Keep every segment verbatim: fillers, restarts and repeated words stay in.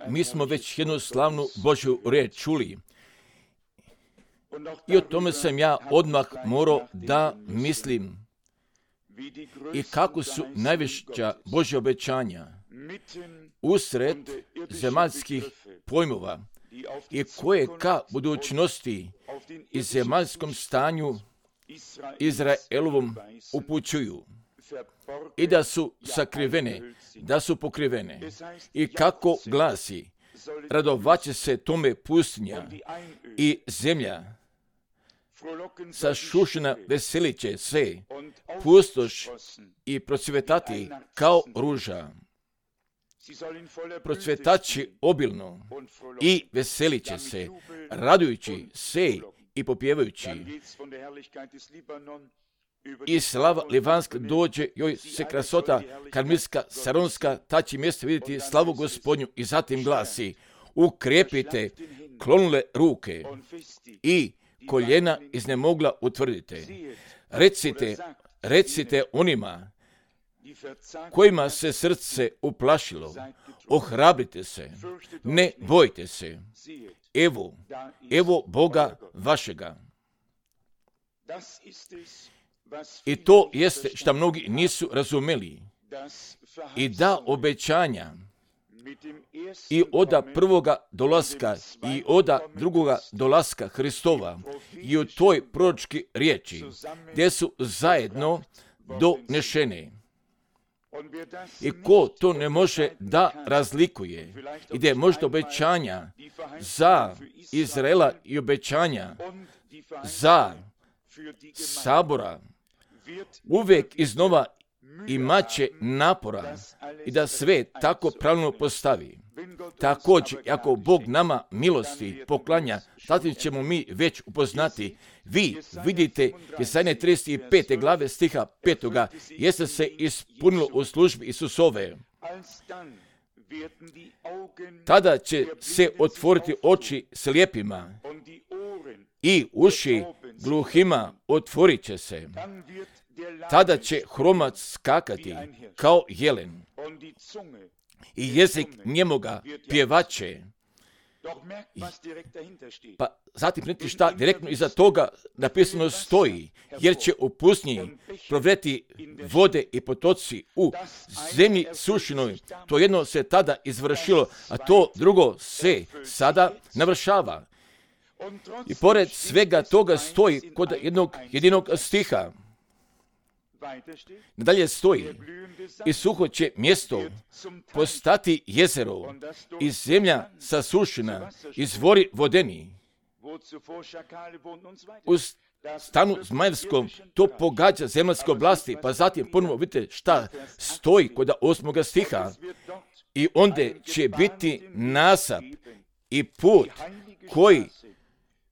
Mi smo već jednu slavnu Božju riječ čuli i o tome sam ja odmah morao da mislim i kako su najveća Božja obećanja usred zemaljskih pojmova i koje ka budućnosti i zemaljskom stanju Izraelovom upućuju i da su sakrivene, da su pokrivene. I kako glasi, radovaće se tome pustinja i zemlja, sašušena veselit će se, pustoš i procvetati kao ruža. Procvetaći obilno i veselit će se, radujući se i popjevajući. I slava livanska dođe, joj se krasota karmilska, saronska, ta će mjesto vidjeti slavu Gospodnju. I zatim glasi, ukrepite klonule ruke i koljena iznemogla utvrdite. Recite, recite onima kojima se srce uplašilo, ohrabrite se, ne bojte se. Evo, evo Boga vašega. I to jeste što mnogi nisu razumeli. I da obećanja i oda prvoga dolaska i oda drugoga dolaska Hristova i u toj proročki riječi gdje su zajedno donešene. I ko to ne može da razlikuje i gdje možda obećanja za Izraela i obećanja za sabora uvijek iznova imat će napora i da sve tako pravilno postavi. Također, ako Bog nama milosti poklanja, tada ćemo mi već upoznati. Vi vidite Jesaja trideset pete glave stiha petoga, jeste se ispunilo u službi Isusove. Tada će se otvoriti oči slijepima i uši gluhima otvorit će se. Tada će hromac skakati kao jelen i jezik njemoga pjevaće. Pa zatim vidite šta direktno iza toga napisano stoji, jer će u pustinji provreti vode i potoci u zemlji sušinoj. To jedno se tada izvršilo, a to drugo se sada navršava. I pored svega toga stoji kod jednog jedinog stiha. Nadalje stoji, i suho će mjesto postati jezero i zemlja sasušena, izvori vodeni. U stanu zmajevskom to pogađa zemaljske oblasti, pa zatim ponovo vidite šta stoji kod osmoga stiha. I onda će biti nasap i put koji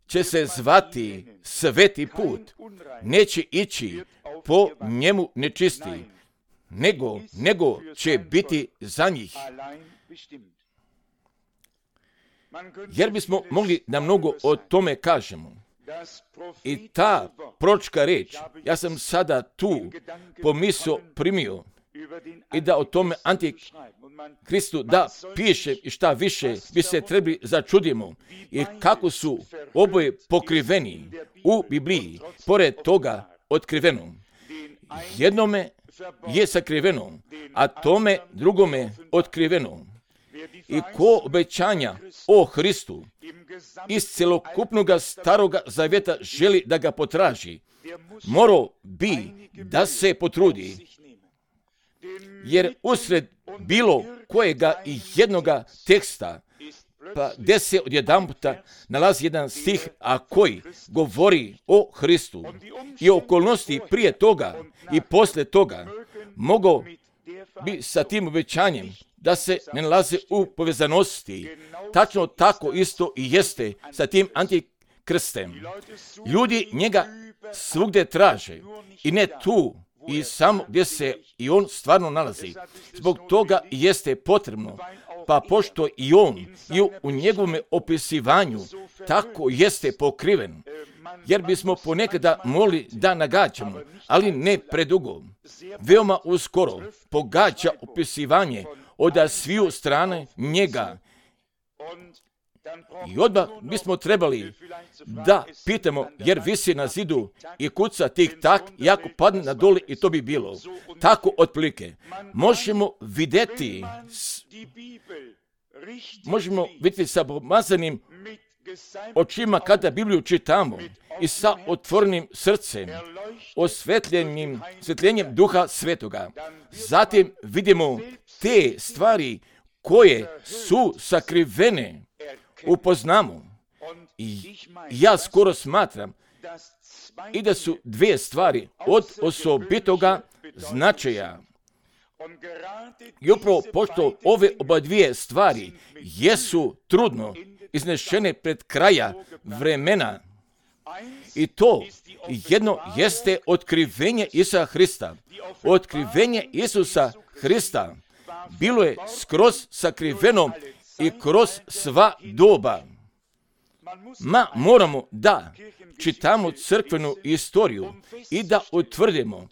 će se zvati sveti put. Neće ići po njemu nečisti, nego, nego će biti za njih. Jer bismo mogli da mnogo o tome kažemo. I ta proročka riječ, ja sam sada tu pomisao primio i da o tome Antikristu da piše i šta više bi se trebali začudimo i kako su oboje pokriveni u Bibliji, pored toga otkriveno. Jednome je sakriveno, a tome drugome otkriveno. I ko obećanja o Hristu iz celokupnog staroga zavjeta želi da ga potraži, morao bi da se potrudi, jer usred bilo kojega i jednoga teksta, pa gdje se odjedanputa nalazi jedan stih, a koji govori o Hristu i okolnosti prije toga i poslije toga, mogao bi sa tim obećanjem da se ne nalaze u povezanosti. Tačno tako isto i jeste sa tim antikrstem. Ljudi njega svugdje traže i ne tu i samo gdje se i on stvarno nalazi. Zbog toga jeste potrebno, pa pošto i on i u, u njegovom opisivanju tako jeste pokriven, jer bismo ponekada mogli da nagađamo, ali ne predugo. Veoma uskoro pogađa opisivanje od sviju strane njega. I odmah bismo trebali da pitamo, jer visi na zidu i kuca tik tak, i ako padne na doli i to bi bilo. Tako otprilike. Možemo vidjeti, možemo vidjeti sa pomazanim očima kada Bibliju čitamo i sa otvorenim srcem, osvetljenim, osvetljenjem Duha Svetoga. Zatim vidimo te stvari koje su sakrivene, upoznamo. I ja skoro smatram i da su dvije stvari od osobitoga značaja. I upravo pošto ove oba dvije stvari jesu trudno iznešene pred kraja vremena, i to jedno jeste otkrivenje Isusa Hrista. Otkrivenje Isusa Hrista bilo je skroz sakriveno i kroz sva doba. Ma moramo da čitamo crkvenu istoriju i da utvrdimo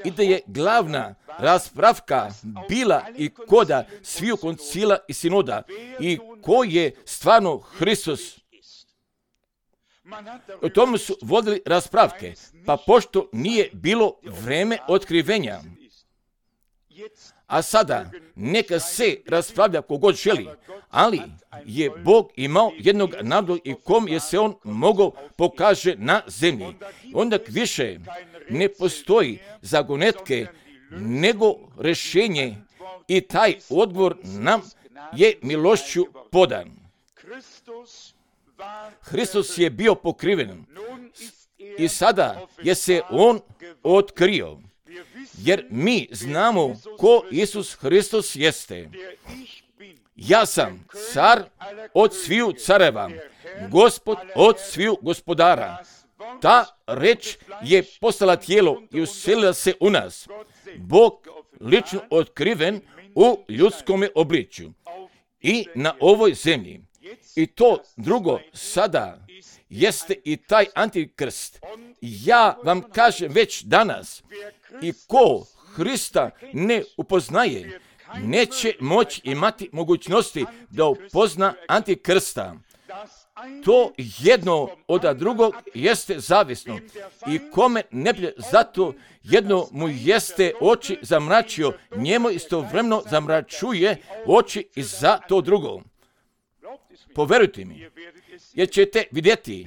i da je glavna raspravka bila i koda sviju koncila i sinoda i ko je stvarno Hristos. O tome su vodili raspravke, pa pošto nije bilo vreme otkrivenja. A sada neka se raspravlja kogod želi, ali je Bog imao jednog naroda i kom je se on mogao pokaže na zemlji. Onda više ne postoji zagonetke nego rješenje i taj odgovor nam je milošću podan. Hristos je bio pokriven i sada je se on otkrio. Jer mi znamo ko Isus Hristos jeste. Ja sam car od sviju careva, gospod od sviju gospodara. Ta reč je postala tijelo i uselila se u nas. Bog lično otkriven u ljudskome obličju i na ovoj zemlji. I to drugo sada jeste i taj antikrst. Ja vam kažem već danas, i ko Hrista ne upoznaje, neće moći imati mogućnosti da upozna antikrsta. To jedno od drugog jeste zavisno i kome ne bi zato jedno mu jeste oči zamračio, njemu istovremeno zamračuje oči i za to drugo. Poverujte mi, jer ćete vidjeti,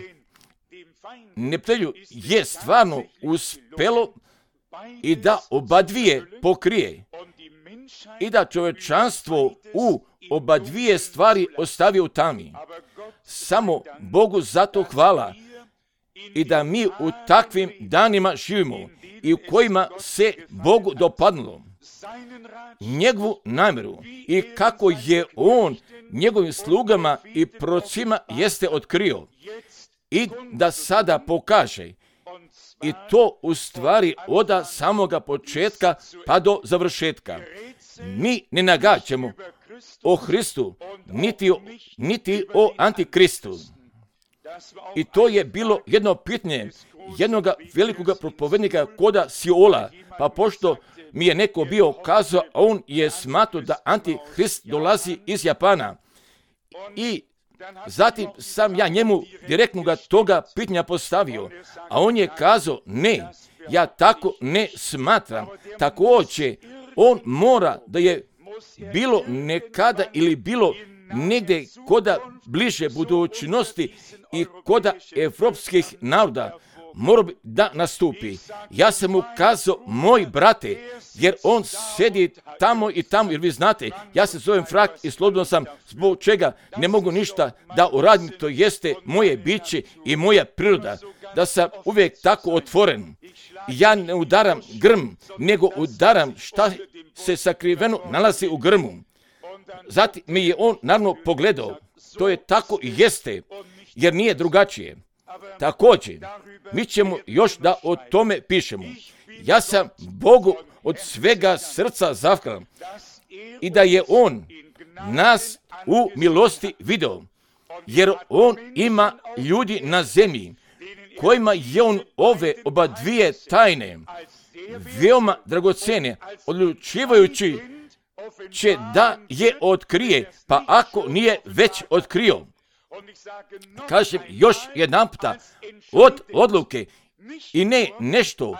neprijatelju je stvarno uspjelo i da oba dvije pokrije i da čovječanstvo u oba dvije stvari ostavi u tami. Samo Bogu zato hvala i da mi u takvim danima živimo i u kojima se Bogu dopadnulo njegovu namjeru i kako je on njegovim slugama i procima jeste otkrio i da sada pokaže. I to u stvari od samoga početka pa do završetka. Mi ne nagađamo o Hristu, niti o, niti o Antikristu. I to je bilo jedno pitanje jednog velikog propovednika koda Siola, pa pošto mi je neko bio kazao, a on je smatrao da Antihrist dolazi iz Japana. I zatim sam ja njemu direktno ga toga pitanja postavio, a on je kazao, ne, ja tako ne smatram. Također, on mora da je bilo nekada ili bilo negdje koda bliže budućnosti i koda evropskih naroda mora bi da nastupi. Ja sam mu kazao, moj brate, jer on sedi tamo i tamo, jer vi znate, ja se zovem Frak i slobodno sam, zbog čega ne mogu ništa da uradim, to jeste moje biće i moja priroda, da sam uvijek tako otvoren. Ja ne udaram grm, nego udaram šta se sakriveno nalazi u grmu. Zatim mi je on naravno pogledao, to je tako i jeste, jer nije drugačije. Također, mi ćemo još da o tome pišemo. Ja sam Bogu od svega srca zahvalan i da je on nas u milosti video, jer on ima ljudi na zemlji kojima je on ove oba dvije tajne veoma dragocene, odlučivajući će da je otkrije, pa ako nije već otkrio. Kažem još jedan puta, od odluke i ne nešto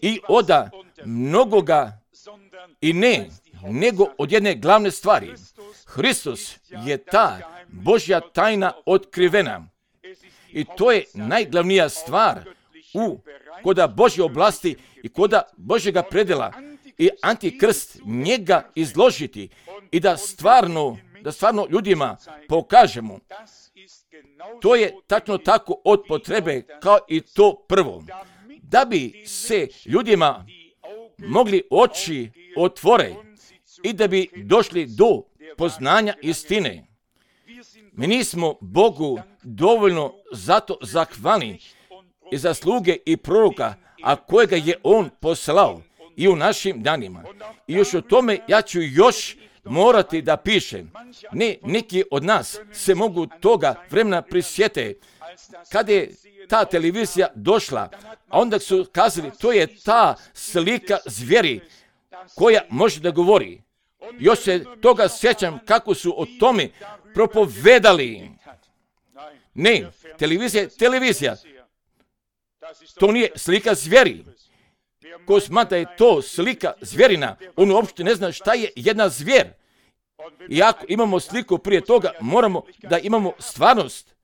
i oda mnogoga i ne, nego od jedne glavne stvari. Hristos je ta Božja tajna otkrivena. I to je najglavnija stvar u koda Božje oblasti i koda Božjega predela i antikrst njega izložiti i da stvarno, da stvarno ljudima pokažemo. To je tačno tako od potrebe kao i to prvo. Da bi se ljudima mogli oči otvore i da bi došli do poznanja istine. Mi nismo Bogu dovoljno zato zahvalni i zasluge i proroka, a kojega je On poslao i u našim danima. I još o tome ja ću još morati da pišem. Ne, neki od nas se mogu toga vremena prisjete. Kada je ta televizija došla, a onda su kazali, to je ta slika zvijeri koja može da govori. Još se toga sjećam kako su o tome propovedali. Ne, televizija je televizija. To nije slika zvijeri. Ko smatra je to slika zvjerina, on uopšte ne zna šta je jedna zvijer. I ako imamo sliku prije toga, moramo da imamo stvarnost.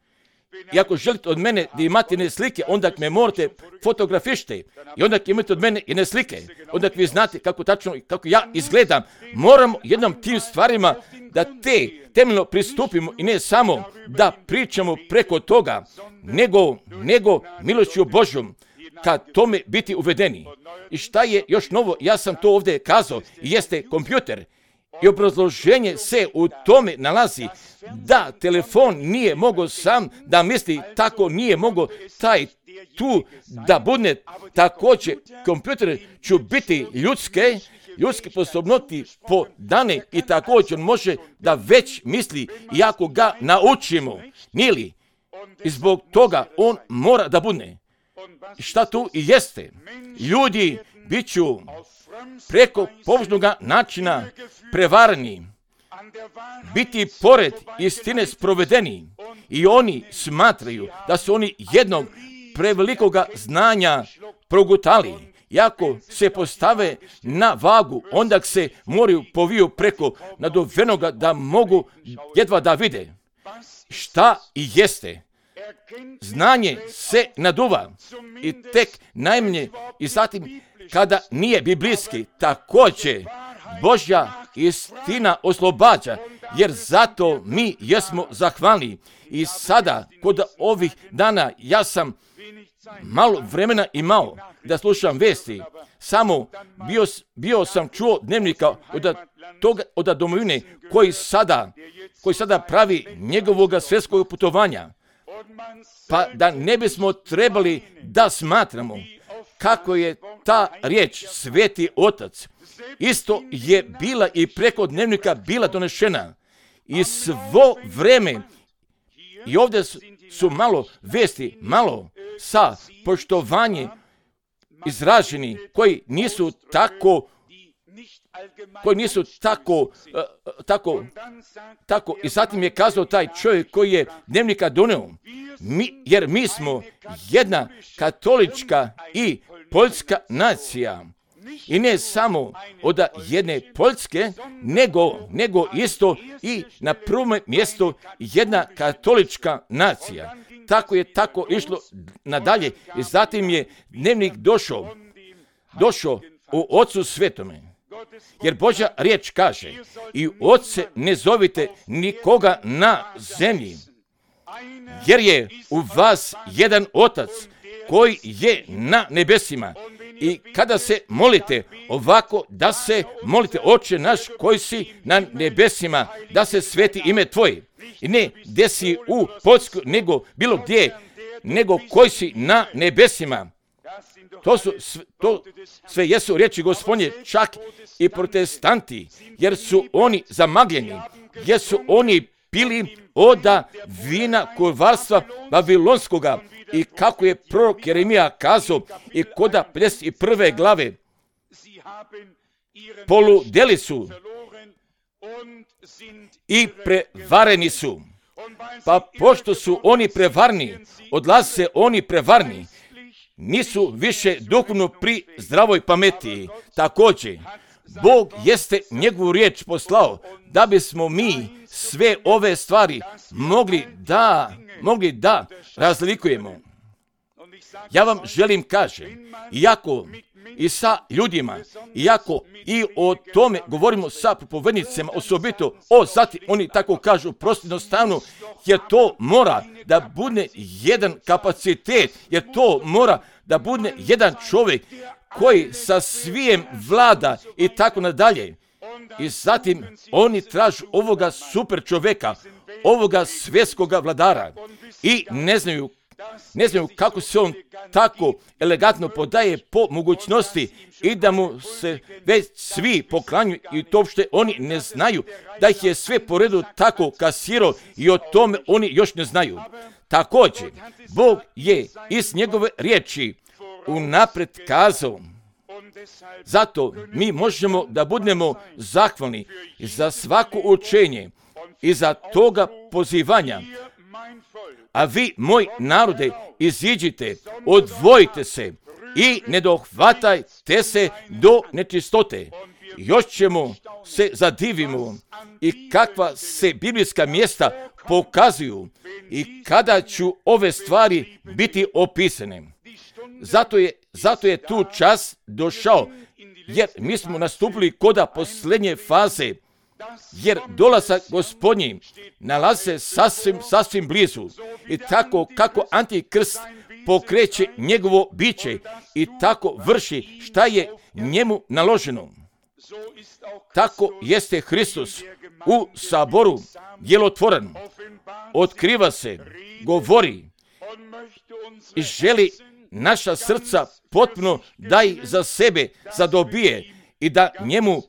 I ako želite od mene da imate ne slike, onda me morate fotografišite. I onda imate od mene i ne slike. Onda vi znate kako tačno, kako ja izgledam. Moramo jednom tim stvarima da te temeljno pristupimo i ne samo da pričamo preko toga, nego, nego milošću Božjom, kad tome biti uvedeni. I šta je još novo, ja sam to ovdje kazao, jeste kompjuter. I obrazloženje se u tome nalazi da telefon nije mogao sam da misli, tako nije mogao taj tu da bude. Također, kompjuter će biti ljudske, ljudske sposobnosti po dane i također može da već misli i ako ga naučimo. Nije li? I zbog toga on mora da bude. I šta tu i jeste? Ljudi bit ću preko površnog načina prevarani, biti pored istine sprovedeni i oni smatraju da su oni jednog prevelikoga znanja progutali. Iako se postave na vagu, onda se moraju poviju preko naduvenoga da mogu jedva da vide. Šta i jeste? Znanje se naduva i tek najmanje i zatim kada nije biblijski, također Božja istina oslobađa, jer zato mi jesmo zahvalni. I sada, kod ovih dana, ja sam malo vremena imao da slušam vesti. Samo bio, bio sam čuo dnevnika od toga, od domovine koji sada, koji sada pravi njegovog svjetskog putovanja. Pa da ne bismo trebali da smatramo kako je ta riječ Sveti Otac isto je bila i preko dnevnika bila donešena i svo vreme. I ovdje su, su malo vesti, malo sa poštovanje izraženi koji nisu tako koji nisu tako, uh, tako, tako. I zatim je kazao taj čovjek koji je dnevnika doneo, mi, jer mi smo jedna katolička i poljska nacija. I ne samo od jedne Poljske, nego, nego isto i na prvom mjestu jedna katolička nacija. Tako je tako išlo nadalje i zatim je dnevnik došao, došao u Ocu Svetome. Jer Božja riječ kaže, i Otce ne zovite nikoga na zemlji, jer je u vas jedan Otac koji je na nebesima. I kada se molite ovako, da se molite, Oče naš koji si na nebesima, da se sveti ime Tvoje. I ne gdje si u Poljskoj, nego bilo gdje, nego koji si na nebesima. To su to sve jesu riječi Gospodnje, čak i protestanti, jer su oni zamagljeni, jer su oni pili oda vina kurvarstva Babilonskoga. I kako je prorok Jeremija kazao i koda pedeset prve glave, poludeli su i prevareni su. Pa pošto su oni prevarni, odlaze oni prevarni, nisu više duhovno pri zdravoj pameti. Također, Bog jeste njegovu riječ poslao da bismo mi sve ove stvari mogli da, mogli da razlikujemo. Ja vam želim kažem, iako i sa ljudima, iako i o tome govorimo sa propovednicima, osobito o zati, oni tako kažu prosto jednostavno, jer to mora da bude jedan kapacitet, jer to mora da bude jedan čovjek koji sa svijem vlada i tako nadalje. I zatim oni tražu ovoga super čovjeka, ovoga svjetskoga vladara i ne znaju Ne znaju kako se on tako elegantno podaje po mogućnosti i da mu se već svi poklanjuju i to uopšte oni ne znaju da ih je sve po redu tako kasirao i o tome oni još ne znaju. Također, Bog je iz njegove riječi unaprijed kazao. Zato mi možemo da budemo zahvalni za svako učenje i za toga pozivanja. A vi, moj narode, iziđite, odvojite se i ne dohvatajte se do nečistote. Još ćemo se zadivimo i kakva se biblijska mjesta pokazuju i kada ću ove stvari biti opisane. Zato je, zato je tu čas došao, jer mi smo nastupili koda posljednje faze, jer dolazak Gospodnji nalaze sasvim, sasvim blizu. I tako kako Antikrist pokreće njegovo biće i tako vrši šta je njemu naloženo. Tako jeste Hristos u saboru djelotvoren, otkriva se, govori i želi naša srca potpuno da ih za sebe zadobije i da njemu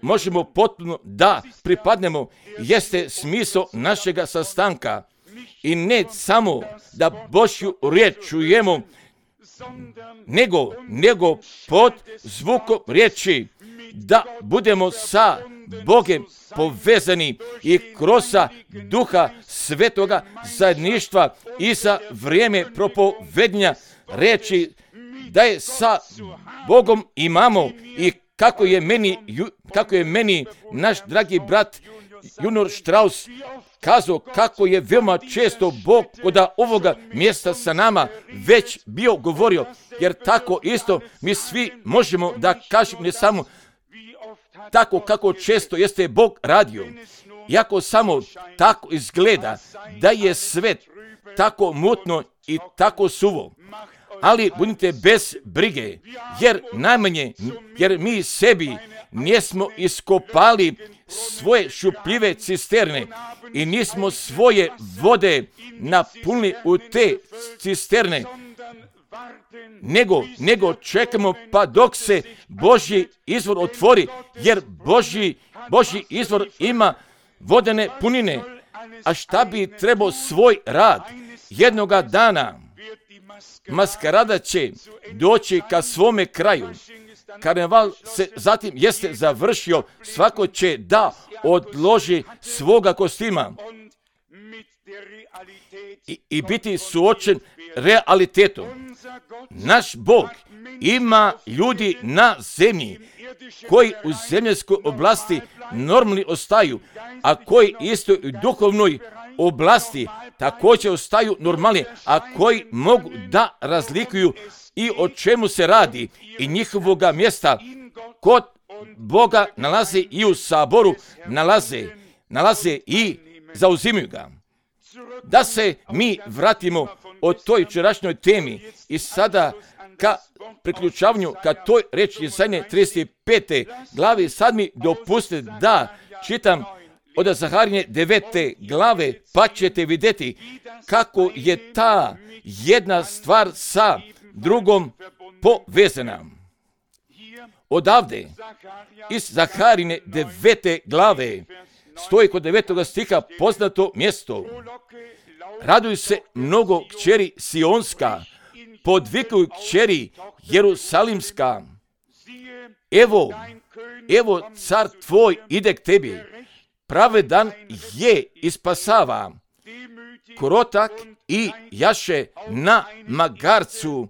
možemo potpuno da pripadnemo, jeste smisao našega sastanka. I ne samo da Božju riječ čujemo, nego, nego pod zvukom riječi da budemo sa Bogom povezani i kroz Duha Svetoga zajedništva i za vrijeme propovednja reći da je sa Bogom imamo i kako je meni, kako je meni naš dragi brat Junior Strauss kazao kako je veoma često Bog od ovoga mjesta sa nama već bio govorio, jer tako isto mi svi možemo da kažemo ne samo tako kako često jeste Bog radio. Iako samo tako izgleda da je svet tako mutno i tako suvo. Ali budite bez brige, jer najmanje, jer mi sebi nismo iskopali svoje šupljive cisterne i nismo svoje vode napunili u te cisterne, nego, nego čekamo pa dok se Božji izvor otvori, jer Božji, Božji izvor ima vodene punine. A šta bi trebao svoj rad jednoga dana? Maskarada će doći ka svome kraju. Karneval se zatim jeste završio, svako će da odloži svoga kostima i, i biti suočen realitetom. Naš Bog ima ljudi na zemlji koji u zemljskoj oblasti normalni ostaju, a koji isto u duhovnoj oblasti također ostaju normalni, a koji mogu da razlikuju i o čemu se radi i njihovoga mjesta kod Boga nalaze i u saboru, nalaze, nalaze i zauzimaju ga. Da se mi vratimo o toj jučerašnjoj temi i sada ka priključavanju ka toj reči Jesaje trideset pete glavi, sad mi dopustite da čitam od Zaharije devete glave, pa ćete vidjeti kako je ta jedna stvar sa drugom povezana. Odavde, iz Zaharine devete glave, stoji kod devetog stiha poznato mjesto. Raduju se mnogo kćeri Sionska, podvikuju kćeri Jerusalimska. Evo, evo car tvoj ide k tebi, pravedan je ispasava, krotak i jaše na magarcu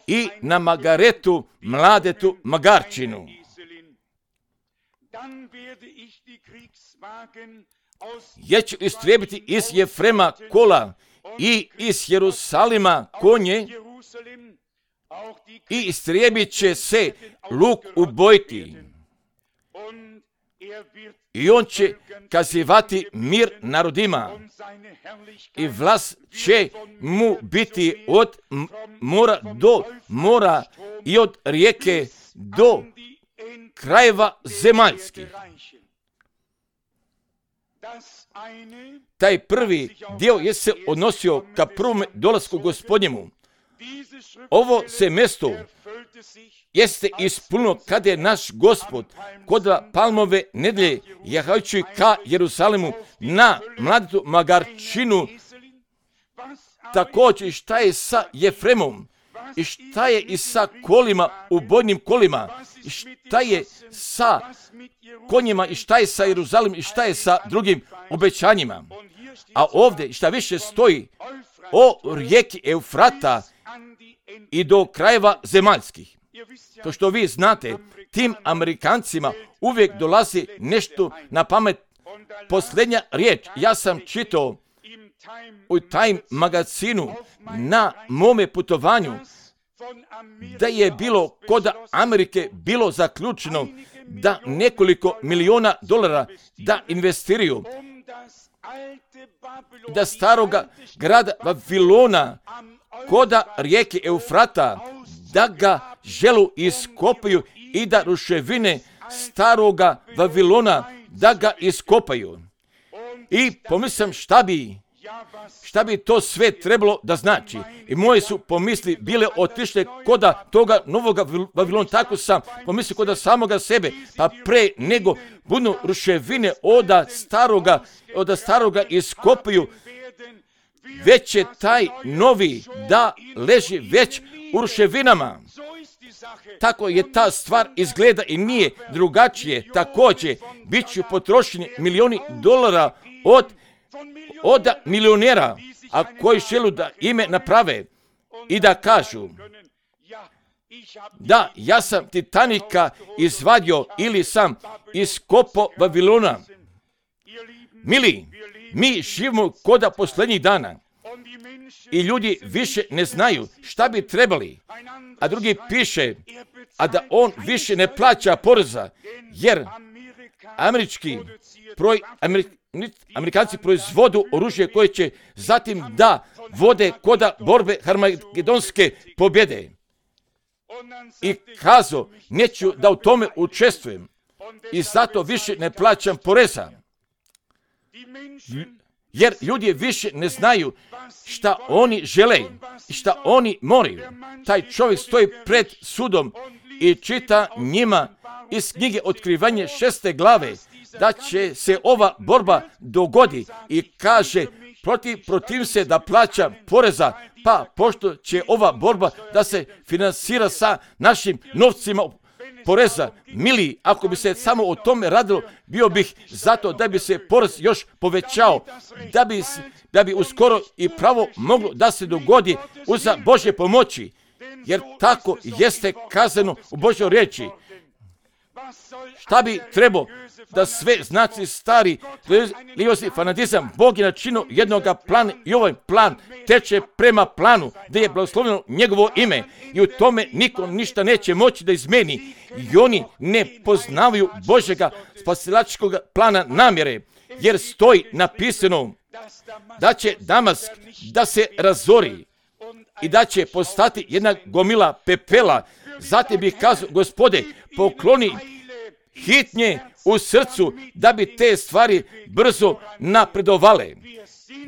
i na magaretu mladetu magarčinu. Jer ću istrijebiti iz Jefrema kola i iz Jerusalima konje i istrijebit će se luk ubojiti. I on će kazivati mir narodima i vlast će mu biti od mora do mora i od rijeke do krajeva zemaljskih. Taj prvi dio je se odnosio ka prvom dolasku Gospodnjemu. Ovo se mjesto jeste ispunilo kada je naš Gospod kod Palmove nedelje jahajući ka Jerusalimu na mladetu magarčinu. Također šta je sa Jefremom i šta je i sa kolima, ubojnim kolima i šta je sa konjima i šta je sa Jeruzalimom i šta je sa drugim obećanjima. A ovdje šta više stoji o rijeki Eufrata i do krajeva zemaljskih. To što vi znate, tim Amerikancima uvijek dolazi nešto na pamet. Posljednja riječ, ja sam čitao u Time magazinu na mome putovanju da je bilo kod Amerike bilo zaključeno da nekoliko miliona dolara da investiraju da staroga grada Vavilona koda rijeke Eufrata da ga želu iskopaju i da ruševine staroga Vavilona da ga iskopaju. I pomislim šta bi šta bi to sve trebalo da znači. I moje su pomisli bile otišle koda toga novoga Vavilona. Tako sam pomislio koda samoga sebe. Pa pre nego budu ruševine oda staroga, oda staroga iskopaju, već će taj novi da leži već u ruševinama. Tako je ta stvar izgleda i nije drugačije. Također, bit će potrošeni milioni dolara od, od milionera, a koji želu da ime naprave i da kažu da ja sam Titanika izvadio ili sam iskopao Vavilona. Mili, mi živimo koda posljednjih dana i ljudi više ne znaju šta bi trebali, a drugi piše, a da on više ne plaća poreza, jer američki proj, Amerik, Amerikanci proizvodu oružje koje će zatim da vode koda borbe harmagedonske pobjede. I kazo, neću da u tome učestvujem i zato više ne plaćam poreza. Jer ljudi više ne znaju šta oni žele i šta oni moraju. Taj čovjek stoji pred sudom i čita njima iz knjige Otkrivanje šeste glave da će se ova borba dogodi i kaže protiv, protiv se da plaća poreza, pa pošto će ova borba da se finansira sa našim novcima poreza. Mili, ako bi se samo o tome radilo, bio bih zato da bi se porez još povećao, da bi, da bi uskoro i pravo moglo da se dogodi uz Božje pomoći, jer tako jeste kazano u Božjoj riječi. Šta bi trebao da sve znači stari religiozni fanatizam, Bog je načinio jednog plana i ovaj plan teče prema planu da je blagoslovljeno njegovo ime i u tome niko ništa neće moći da izmeni i oni ne poznavaju Božjega spasilačkog plana namjere, jer stoji napisano da će Damask da se razori i da će postati jedna gomila pepela. Zatim bih kazao, Gospode, pokloni hitnje u srcu da bi te stvari brzo napredovale,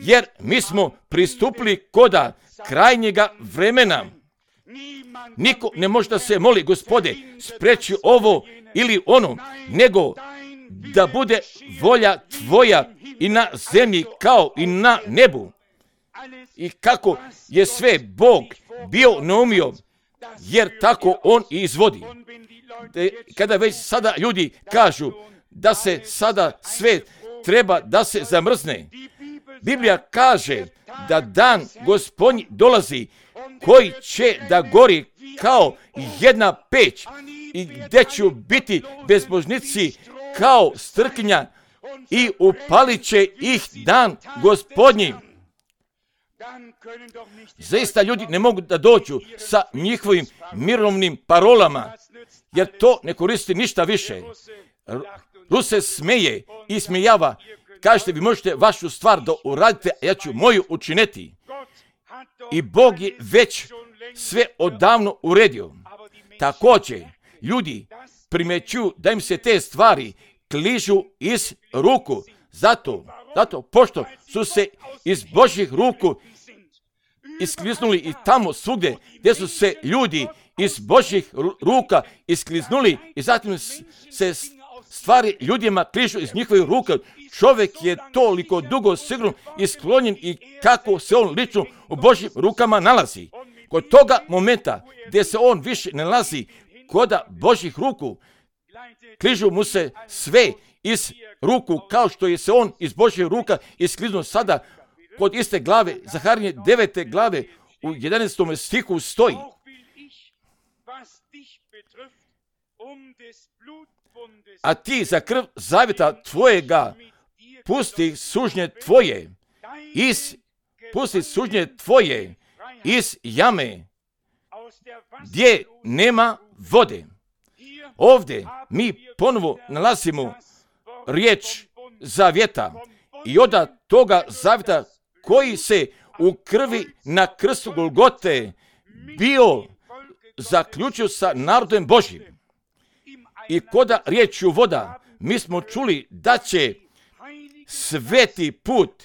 jer mi smo pristupili koda krajnjega vremena. Niko ne može da se moli, Gospode, spreči ovo ili ono, nego da bude volja Tvoja i na zemlji kao i na nebu. I kako je sve Bog bio naumio, jer tako On i izvodi. Kada već sada ljudi kažu da se sada sve treba da se zamrzne. Biblija kaže da dan Gospodnji dolazi koji će da gori kao jedna peć i gdje će biti bezbožnici kao strkinja i upalit će ih dan Gospodnji. Zaista ljudi ne mogu da dođu sa njihovim mirovnim parolama, jer to ne koristi ništa više. Rus se smeje i smijava. Kažete, vi možete vašu stvar da uradite, a ja ću moju učiniti. I Bog je već sve odavno uredio. Također, ljudi primećuju da im se te stvari kližu iz ruku. Zato, zato, pošto su se iz Božjih ruku iskliznuli i tamo svugdje gdje su se ljudi iz Božjih ruka iskliznuli i zatim se stvari ljudima kližu iz njihovih ruka. Čovjek je toliko dugo sigurno isklonjen i kako se on lično u Božjim rukama nalazi. Kod toga momenta gdje se on više ne nalazi kod Božjih ruku, kližu mu se sve iz ruku kao što je se on iz Božjih ruka iskliznuo sada. Kod iste glave, Zaharinje devete glave, u jedanaestom stihu stoji: a ti za krv zavjeta tvojega pusti sužnje tvoje iz, pusti sužnje tvoje iz jame gdje nema vode. Ovdje mi ponovo nalazimo riječ zavjeta i od toga zavjeta koji se u krvi na krstu Golgote bio zaključio sa narodom Božjim. I koda riječju voda mi smo čuli da će sveti put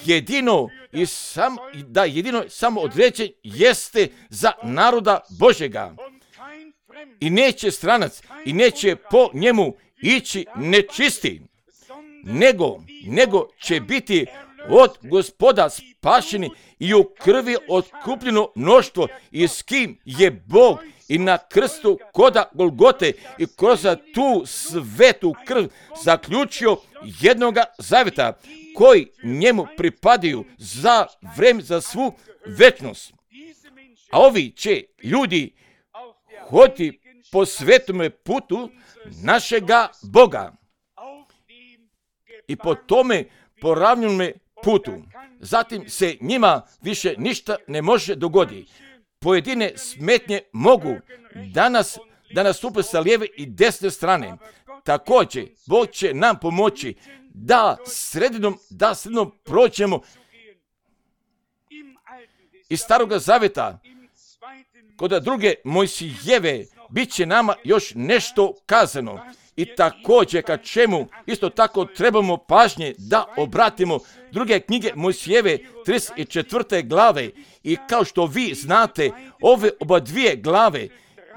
jedino i sam, da jedino samo određen jeste za naroda Božjega. I neće stranac i neće po njemu ići nečisti, nego, nego će biti od Gospoda spašeni i u krvi otkupljeno mnoštvo i s kim je Bog i na krstu koda Golgote i kroz tu svetu krv zaključio jednoga zavjeta koji njemu pripadaju za vreme, za svu večnost. A ovi će ljudi hoditi po svetome putu našega Boga i po tome poravnjenome putu. Zatim se njima više ništa ne može dogoditi. Pojedine smetnje mogu danas da nastupe sa lijeve i desne strane. Također, Bog će nam pomoći da sredinom, da sredinom prođemo iz Staroga Zavjeta. Kod druge Mojsijeve bit će nama još nešto kazano. I također ka čemu isto tako trebamo pažnje da obratimo druge knjige Mojsijeve trideset četvrte glave. I kao što vi znate, ove oba dvije glave,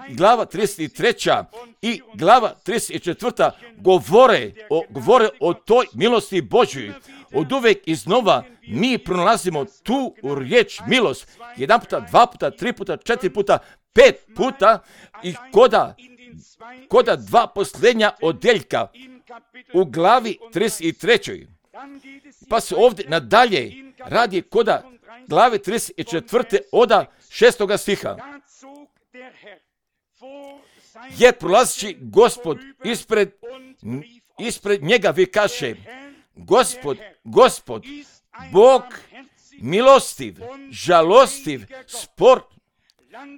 glava trideset treća i glava trideset četvrta govore o, govore o toj milosti Božjoj. Od uvek iznova mi pronalazimo tu riječ milost. Jedan puta, dva puta, tri puta, četiri puta, pet puta i koda koda dva posljednja odeljka u glavi trideset trećoj. Pa se ovdje nadalje radi koda glave trideset četvrte oda šestoga stiha. Jer prolazići Gospod ispred, ispred njega vikaše: Gospod, Gospod, Bog milostiv, žalostiv, spor,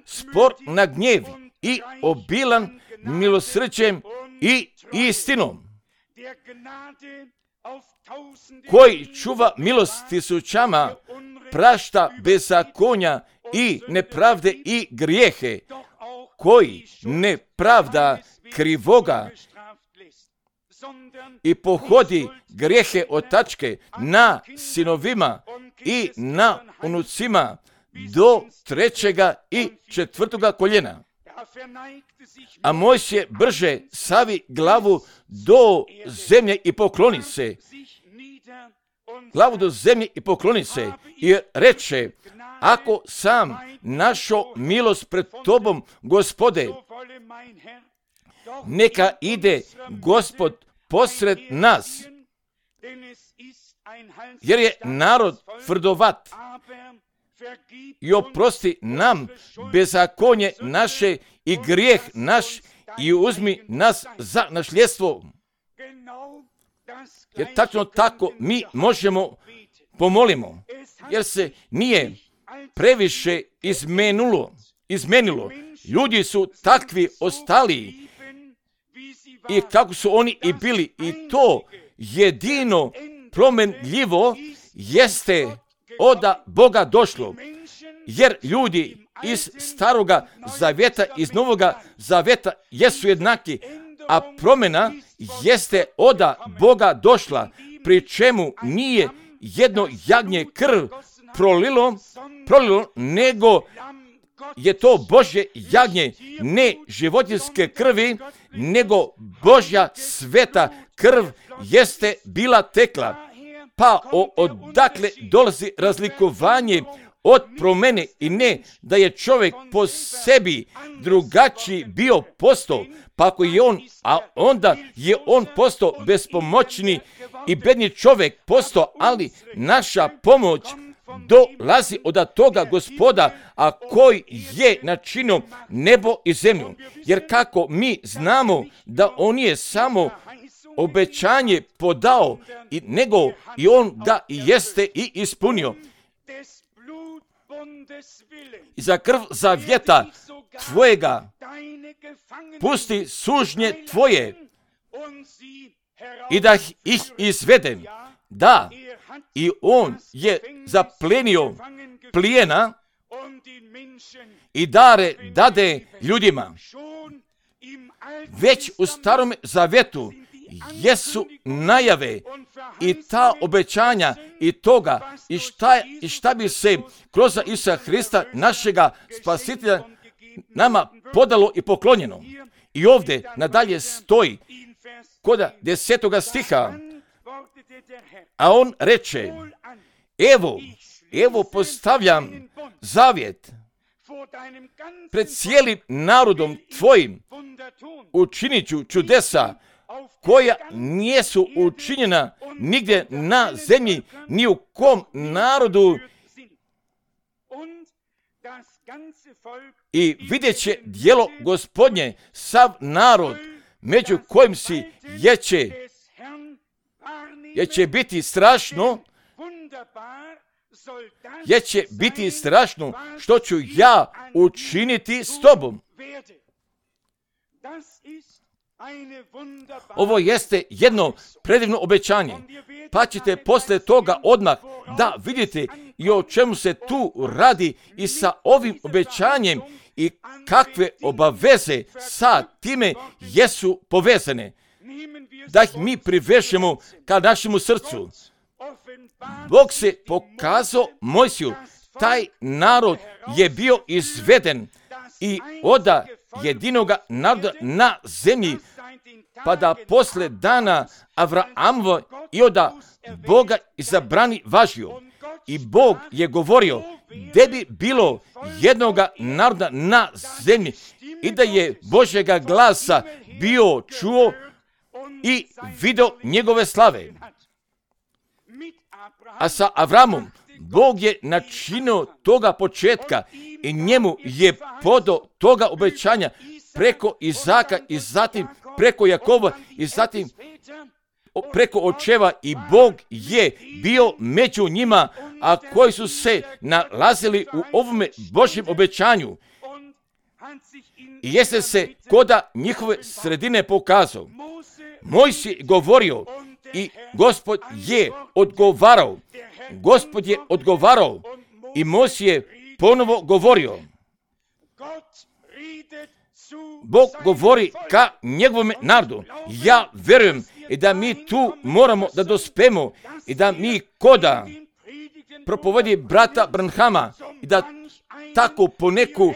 spor na gnjev i obilan milosrđem i istinom, koji čuva milost tisućama, prašta bezakonja i nepravde i grijehe, koji ne pravda krivoga i pohodi grijehe otačke na sinovima i na unucima do trećega i četvrtoga koljena. A Mojsije brže savi glavu do zemlje i pokloni se. Glavu do zemlje i pokloni se i reče: ako sam našao milost pred tobom, Gospode, neka ide Gospod posred nas jer je narod tvrdovat. I oprosti nam bezakonje naše i grijeh naš i uzmi nas za našljedstvo. Jer tačno tako mi možemo pomolimo, jer se nije previše izmenulo, izmenilo. Ljudi su takvi ostali i kako su oni i bili, i to jedino promenljivo jeste od Boga došlo, jer ljudi iz staroga zavjeta, iz novoga zavjeta jesu jednaki, a promjena jeste od Boga došla, pri čemu nije jedno jagnje krv prolilo, prolilo, nego je to Božje jagnje, ne životinjske krvi, nego Božja sveta krv jeste bila tekla. Pa o, odakle dolazi razlikovanje od promjene, i ne da je čovjek po sebi drugačiji bio postao, pa ako je on, a onda je on postao bespomoćni i bedni čovjek postao, ali naša pomoć dolazi od toga Gospoda, a koji je načinio nebo i zemlju. Jer kako mi znamo da on je samo obećanje podao, i nego i on ga i jeste i ispunio. I za krv zavjeta tvojega pusti sužnje tvoje i da ih izvedem. Da, i on je zaplenio plijena i dare dade ljudima. Već u starom zavjetu jesu najave i ta obećanja i toga i šta, i šta bi se kroz Isusa Hrista, našega spasitelja, nama podalo i poklonjeno. I ovdje nadalje stoji kod desetoga stiha, a on reče: evo, evo postavljam zavjet pred cijelim narodom tvojim, učinit ću čudesa koja nijesu učinjena nigdje na zemlji, ni u kom narodu, i vidjet će djelo Gospodnje sav narod, među kojim si jeće, jer će biti strašno, jer će biti strašno što ću ja učiniti s tobom. Ovo jeste jedno predivno obećanje, pa ćete poslije toga odmah da vidite i o čemu se tu radi i sa ovim obećanjem i kakve obaveze sa time jesu povezane, da ih mi privežemo ka našemu srcu. Bog se pokazao Mojsiju, taj narod je bio izveden i oda jedinoga naroda na zemlji, pa da posle dana Avraamova i oda Boga izabrani važio. I Bog je govorio da bi bilo jednoga naroda na zemlji i da je Božjega glasa bio čuo i video njegove slave. A sa Avramom Bog je načinio toga početka i njemu je podao toga obećanja preko Izaka i zatim preko Jakova i zatim preko očeva, i Bog je bio među njima, a koji su se nalazili u ovome Božjem obećanju. I jeste se koda njihove sredine pokazao. Mojsije govorio i Gospod je odgovarao. Gospod je odgovarao i Mojsije ponovo govorio. Bog govori ka njegovom narodu. Ja verujem i da mi tu moramo da dospemo i da mi koda propovedi brata Branhama i da tako po neku,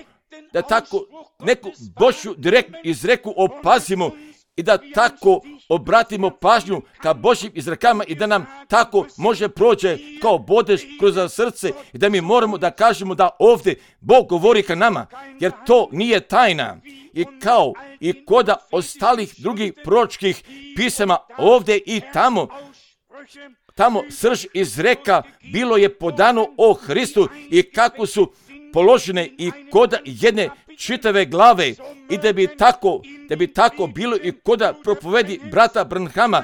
da tako neku Božju direkt izreku opazimo i da tako obratimo pažnju ka Božjim izrekama i da nam tako može prođe kao bodež kroz srce i da mi moramo da kažemo da ovdje Bog govori ka nama, jer to nije tajna. I kao i koda ostalih drugih proročkih pisama ovdje i tamo tamo srž izreka bilo je podano o Hristu i kako su položene i kod jedne čitave glave i da bi tako, da bi tako bilo i koda propovedi brata Branhama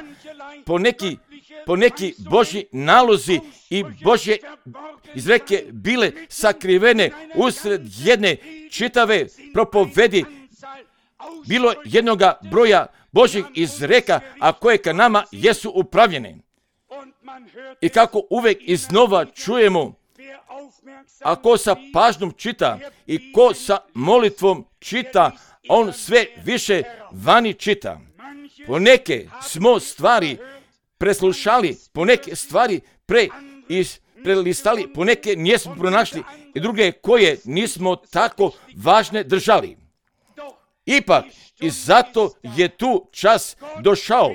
po neki, po neki Božji nalozi i Božje izreke bile sakrivene usred jedne čitave propovedi, bilo jednoga broja Božjih izreka, a koje ka nama jesu upravljene. I kako uvek iznova čujemo, ako sa pažnjom čita i ko sa molitvom čita, on sve više vani čita. Poneke smo stvari preslušali, poneke stvari pre iz prelistali, poneke nismo pronašli i druge koje nismo tako važne držali. Ipak, i zato je tu čas došao.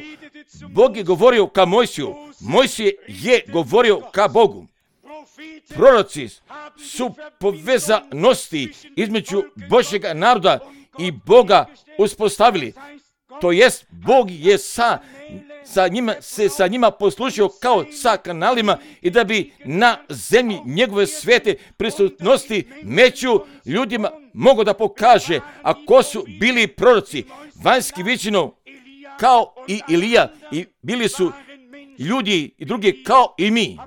Bog je govorio ka Mojsiju, Mojsije je govorio ka Bogu. Proroci su povezanosti između Božjega naroda i Boga uspostavili. To jest, Bog je sa, sa njima, se sa njima poslužio kao sa kanalima i da bi na zemlji njegove svete prisutnosti među ljudima mogo da pokaže, a ko su bili proroci, vanjski viđeno kao i Ilija, i bili su ljudi i drugi kao i mi.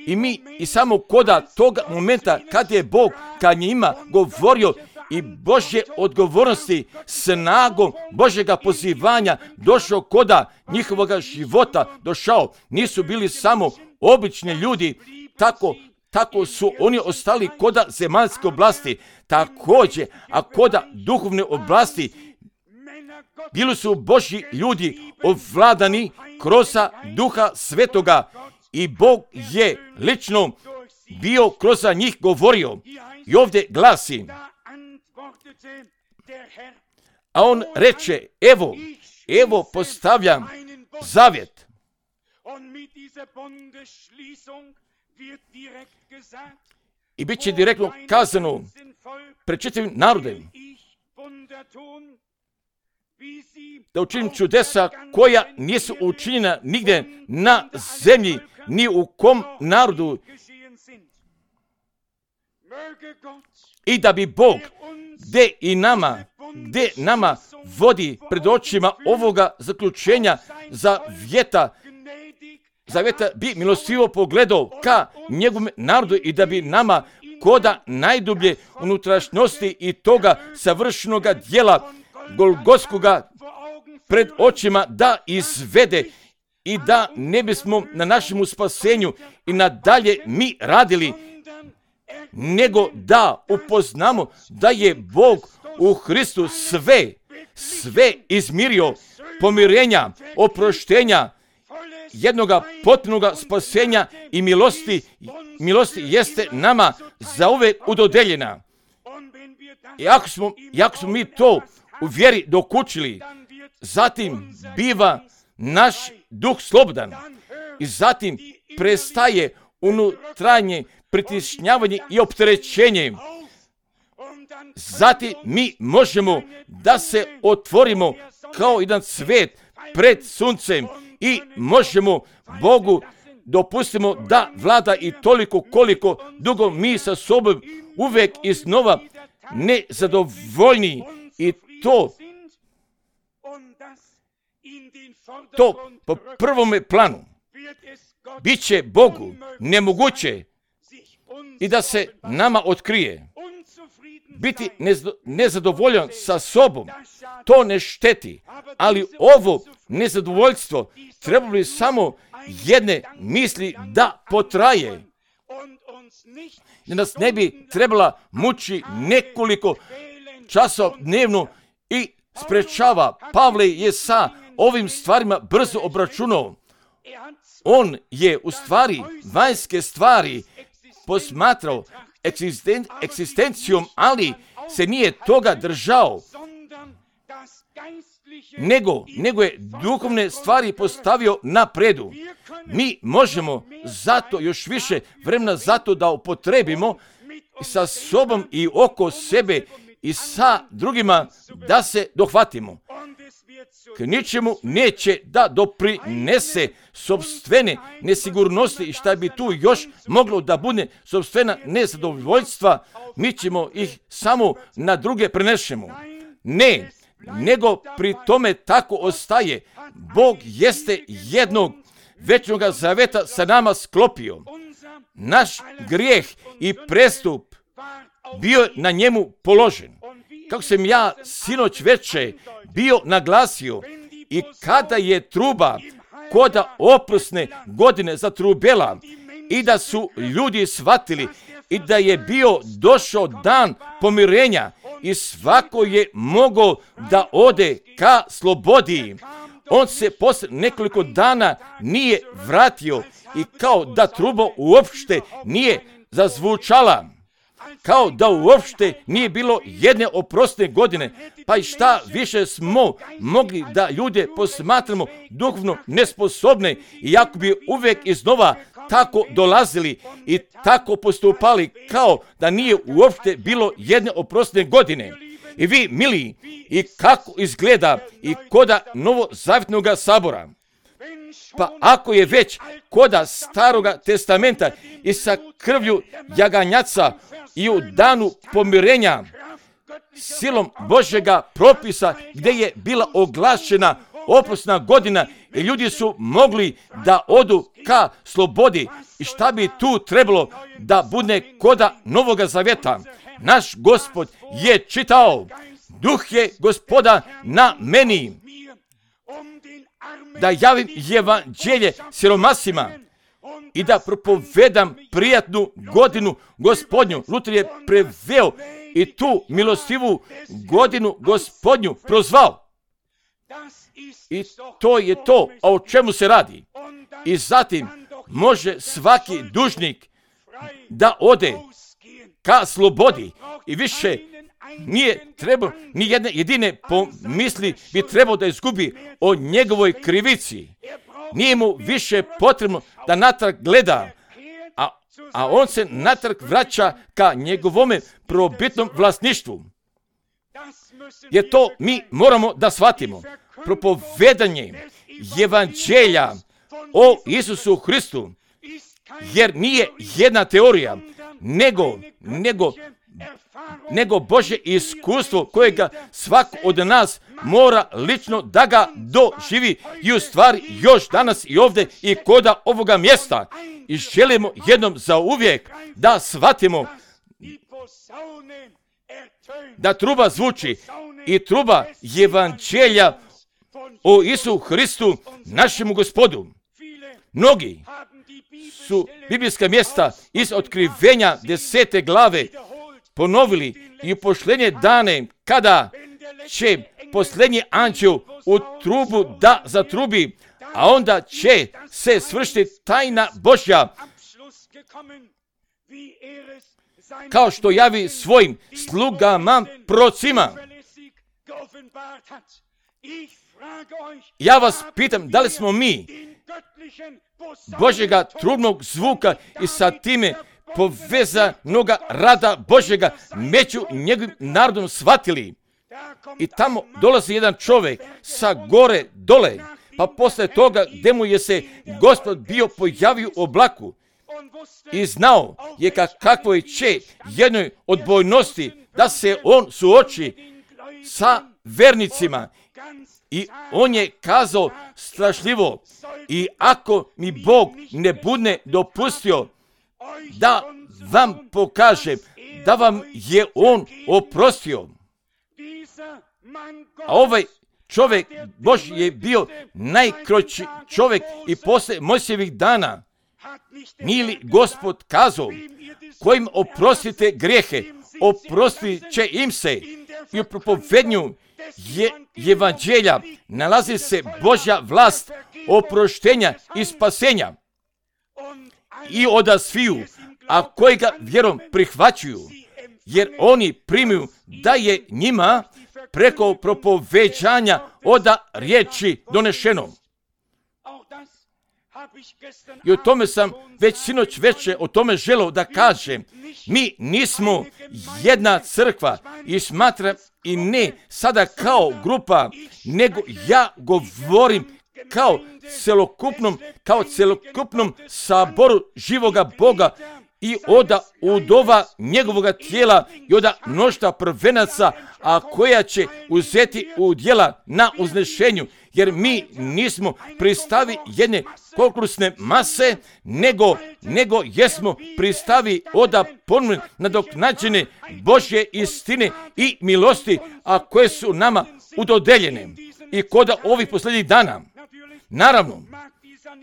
I mi i samo koda toga momenta kad je Bog ka njima govorio i Božje odgovornosti, snagom Božjega pozivanja došao koda njihovoga života došao. Nisu bili samo obični ljudi, tako, tako su oni ostali koda zemaljske oblasti. Također, a koda duhovne oblasti, bili su Božji ljudi ovladani kroz Duha Svetoga i Bog je lično bio kroz njih govorio. I ovdje glasi, a on reče, evo, evo postavljam zavjet. I bit će direktno kazano pred čitavim narodem da učinim čudesa koja nisu učinjena nigde na zemlji, ni u kom narodu. I da bi Bog, gde i nama, gde nama vodi pred očima ovoga zaključenja za vjeta, zavjeta bi milostivo pogledao ka njegovom narodu i da bi nama koda najdublje unutrašnjosti i toga savršenoga djela Golgotskoga pred očima da izvede i da ne bismo na našem spasenju i nadalje mi radili, nego da upoznamo da je Bog u Hristu sve, sve izmirio, pomirenja, oproštenja, jednoga potpunoga spasenja i milosti, milosti jeste nama zauvek udodeljena. I ako smo, i ako smo mi to u vjeri dokučili, zatim biva naš duh slobodan i zatim prestaje unutarnje pritišnjavanje i opterećenje. Zatim mi možemo da se otvorimo kao jedan cvet pred suncem i možemo Bogu dopustimo da vlada i toliko koliko dugo mi sa sobom uvek iznova nezadovoljni i to to po prvome planu bit će Bogu nemoguće i da se nama otkrije. Biti nezadovoljan sa sobom, to ne šteti, ali ovo nezadovoljstvo treba bi samo jedne misli da potraje. Da nas ne bi trebala muči nekoliko časova dnevno i sprečava. Pavle je sa ovim stvarima brzo obračunao. On je u stvari vanjske stvari posmatrao eksisten, egzistencijom, ali se nije toga držao, nego, nego je duhovne stvari postavio na predu. Mi možemo zato još više vremena zato da upotrebimo sa sobom i oko sebe i sa drugima da se dohvatimo. k ničemu neće da doprinese sopstvene nesigurnosti i šta bi tu još moglo da bude sopstvena nezadovoljstva, mi ćemo ih samo na druge prenešemo. Ne, nego pri tome tako ostaje. Bog jeste jednog večnog zaveta sa nama sklopio. Naš grijeh i prestup bio je na njemu položen. Kako sam ja sinoć veče bio naglasio, i kada je truba koda oprosne godine zatrubela i da su ljudi shvatili i da je bio došao dan pomirenja i svako je mogao da ode ka slobodi, on se posle nekoliko dana nije vratio i kao da truba uopšte nije zazvučala, kao da uopšte nije bilo jedne oprosne godine. Pa i šta više smo mogli da ljude posmatramo duhovno nesposobne, iako bi uvek iznova tako dolazili i tako postupali kao da nije uopšte bilo jedne oprosne godine. I vi, mili, i kako izgleda i koda Novozavjetnog sabora. Pa ako je već koda Staroga testamenta i sa krvlju jaganjaca i u danu pomirenja silom Božjega propisa gdje je bila oglašena oprosna godina i ljudi su mogli da odu ka slobodi, i šta bi tu trebalo da bude koda Novoga Zaveta? Naš Gospod je čitao: Duh je Gospoda na meni, da javim evanđelje siromasima i da propovedam prijatnu godinu Gospodnju. Luter je preveo i tu milostivu godinu Gospodnju prozvao. I to je to o čemu se radi. I zatim može svaki dužnik da ode ka slobodi i više nije trebao, ni jedne jedine pomisli bi trebao da izgubi o njegovoj krivici. Nije mu više potrebno da natrag gleda, a, a on se natrag vraća ka njegovome probitnom vlasništvu. Jer to mi moramo da shvatimo. Propovedanje evanđelja o Isusu Hristu, jer nije jedna teorija, nego, nego, nego Božje iskustvo kojega svako od nas mora lično da ga doživi i u stvari još danas i ovdje i koda ovoga mjesta. I želimo jednom za uvijek da shvatimo da truba zvuči i truba evanđelja o Isu Hristu, našemu Gospodu. Mnogi su biblijska mjesta iz otkrivenja desete glave ponovili i u posljednje dane, kada će posljednji anđeo u trubu da zatrubi, a onda će se svršiti tajna Božja, kao što javi svojim slugama procima. Ja vas pitam, da li smo mi Božjega trubnog zvuka i sa time povezanoga rada Božjega među njegovim narodom shvatili? I tamo dolazi jedan čovjek sa gore dole, pa posle toga gdje mu je se Gospod bio pojavio u oblaku i znao je ka kakvoj će jednoj odbojnosti da se on suoči sa vernicima. I on je kazao strašljivo: i ako mi Bog ne bude dopustio da vam pokažem da vam je on oprostio. A ovaj čovjek Božji je bio najkroći čovjek i posle Mojsijevih dana. Nije li Gospod kazao: kojim oprostite grijehe, oprostit će im se? I u propovednju je evanđelja nalazi se Božja vlast oproštenja i spasenja. I oda sviju, a koji ga vjerom prihvaćuju, jer oni primiju da je njima preko propoveđanja oda riječi donešeno. I o tome sam već sinoć veče o tome želeo da kažem. Mi nismo jedna crkva i smatram i ne sada kao grupa, nego ja govorim kao celokupnom, kao celokupnom saboru živoga Boga i oda udova njegovoga tijela i oda mnoštva prvenaca, a koja će uzeti udjela na uznešenju, jer mi nismo pristavi jedne konkursne mase, nego, nego jesmo pristavi oda ponovno nadoknađene Božje istine i milosti, a koje su nama udodeljene i koda ovih posljednjih dana. Naravno,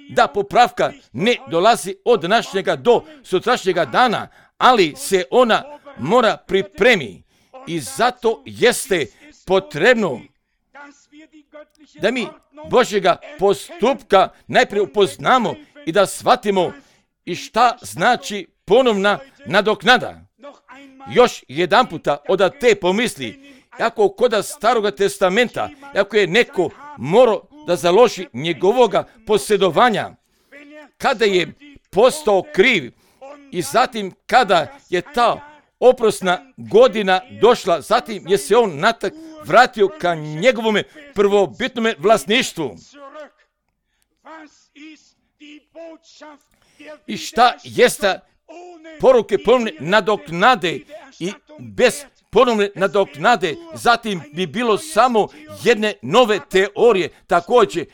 da popravka ne dolazi od današnjega do sutrašnjega dana, ali se ona mora pripremi i zato jeste potrebno da mi Božjega postupka najprije upoznamo i da shvatimo i šta znači ponovna nadoknada. Još jedan puta od te pomisli, ako koda Staroga testamenta, ako je neko morao da založi njegovoga posjedovanja, kada je postao kriv i zatim kada je ta oprosna godina došla, zatim je se on natak vratio ka njegovome prvobitnome vlasništvu. I šta jeste poruke ponovne nadoknade i bez ponovne nadoknade, zatim bi bilo samo jedne nove teorije. Također,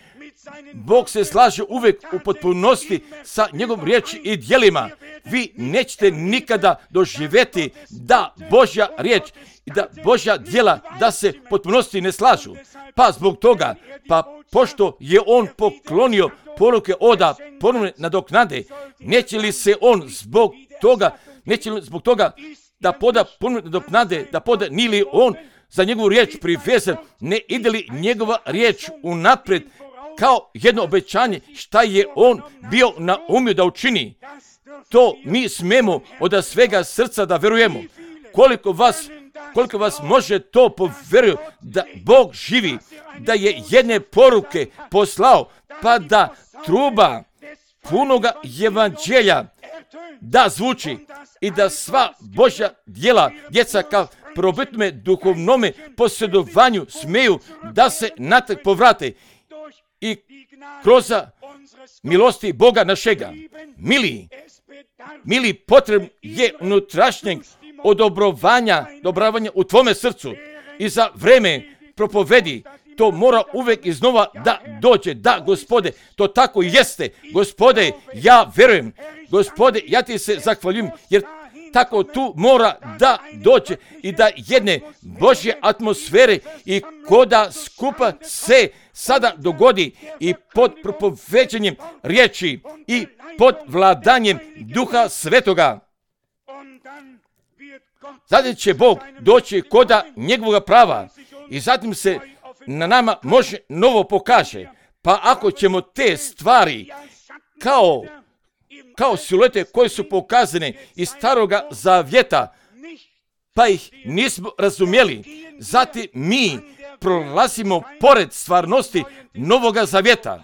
Bog se slaže uvijek u potpunosti sa njegovom riječi i djelima. Vi nećete nikada doživjeti da Božja riječ i da Božja djela da se potpunosti ne slažu. Pa zbog toga, pa pošto je on poklonio poruke oda ponovne nadoknade, neće li se on zbog toga, neće li zbog toga da poda ponovne nadoknade, da poda nije li on za njegovu riječ privezan, ne ide li njegova riječ unaprijed kao jedno obećanje šta je on bio naumio da učini. To mi smemo od svega srca da verujemo. Koliko vas, koliko vas može to povjeruju da Bog živi, da je jedne poruke poslao, pa da truba punoga evanđelja da zvuči i da sva Božja djela, djeca kao probitnome duhovnome posjedovanju smeju da se natrag povrate i kroz milosti Boga našega. Mili, mili, potrebno je unutrašnjeg odobrovanja, dobravanja u tvome srcu i za vreme propovedi. To mora uvijek iznova da dođe. Da, Gospode, to tako jeste. Gospode, ja verujem. Gospode, ja ti se zahvaljujem, jer tako tu mora da dođe i da jedne Božje atmosfere i koda skupa se sada dogodi i pod propoveđenjem riječi i pod vladanjem Duha Svetoga. Zatim će Bog doći koda njegovog prava i zatim se na nama može novo pokaže. Pa ako ćemo te stvari kao, kao siluete koje su pokazane iz Staroga Zavjeta, pa ih nismo razumjeli, zatim mi prolazimo pored stvarnosti Novoga Zavjeta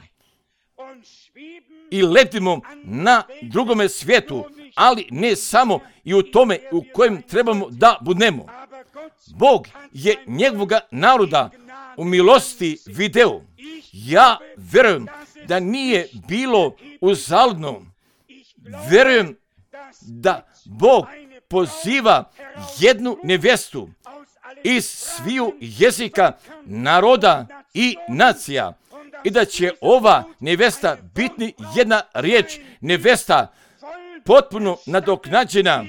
i letimo na drugome svijetu, ali ne samo i u tome u kojem trebamo da budemo. Bog je njegovoga naroda u milosti video. Ja verujem da nije bilo uzaludno. Verujem da Bog poziva jednu nevjestu iz sviju jezika, naroda i nacija i da će ova nevjesta biti jedna riječ, nevjesta potpuno nadoknađena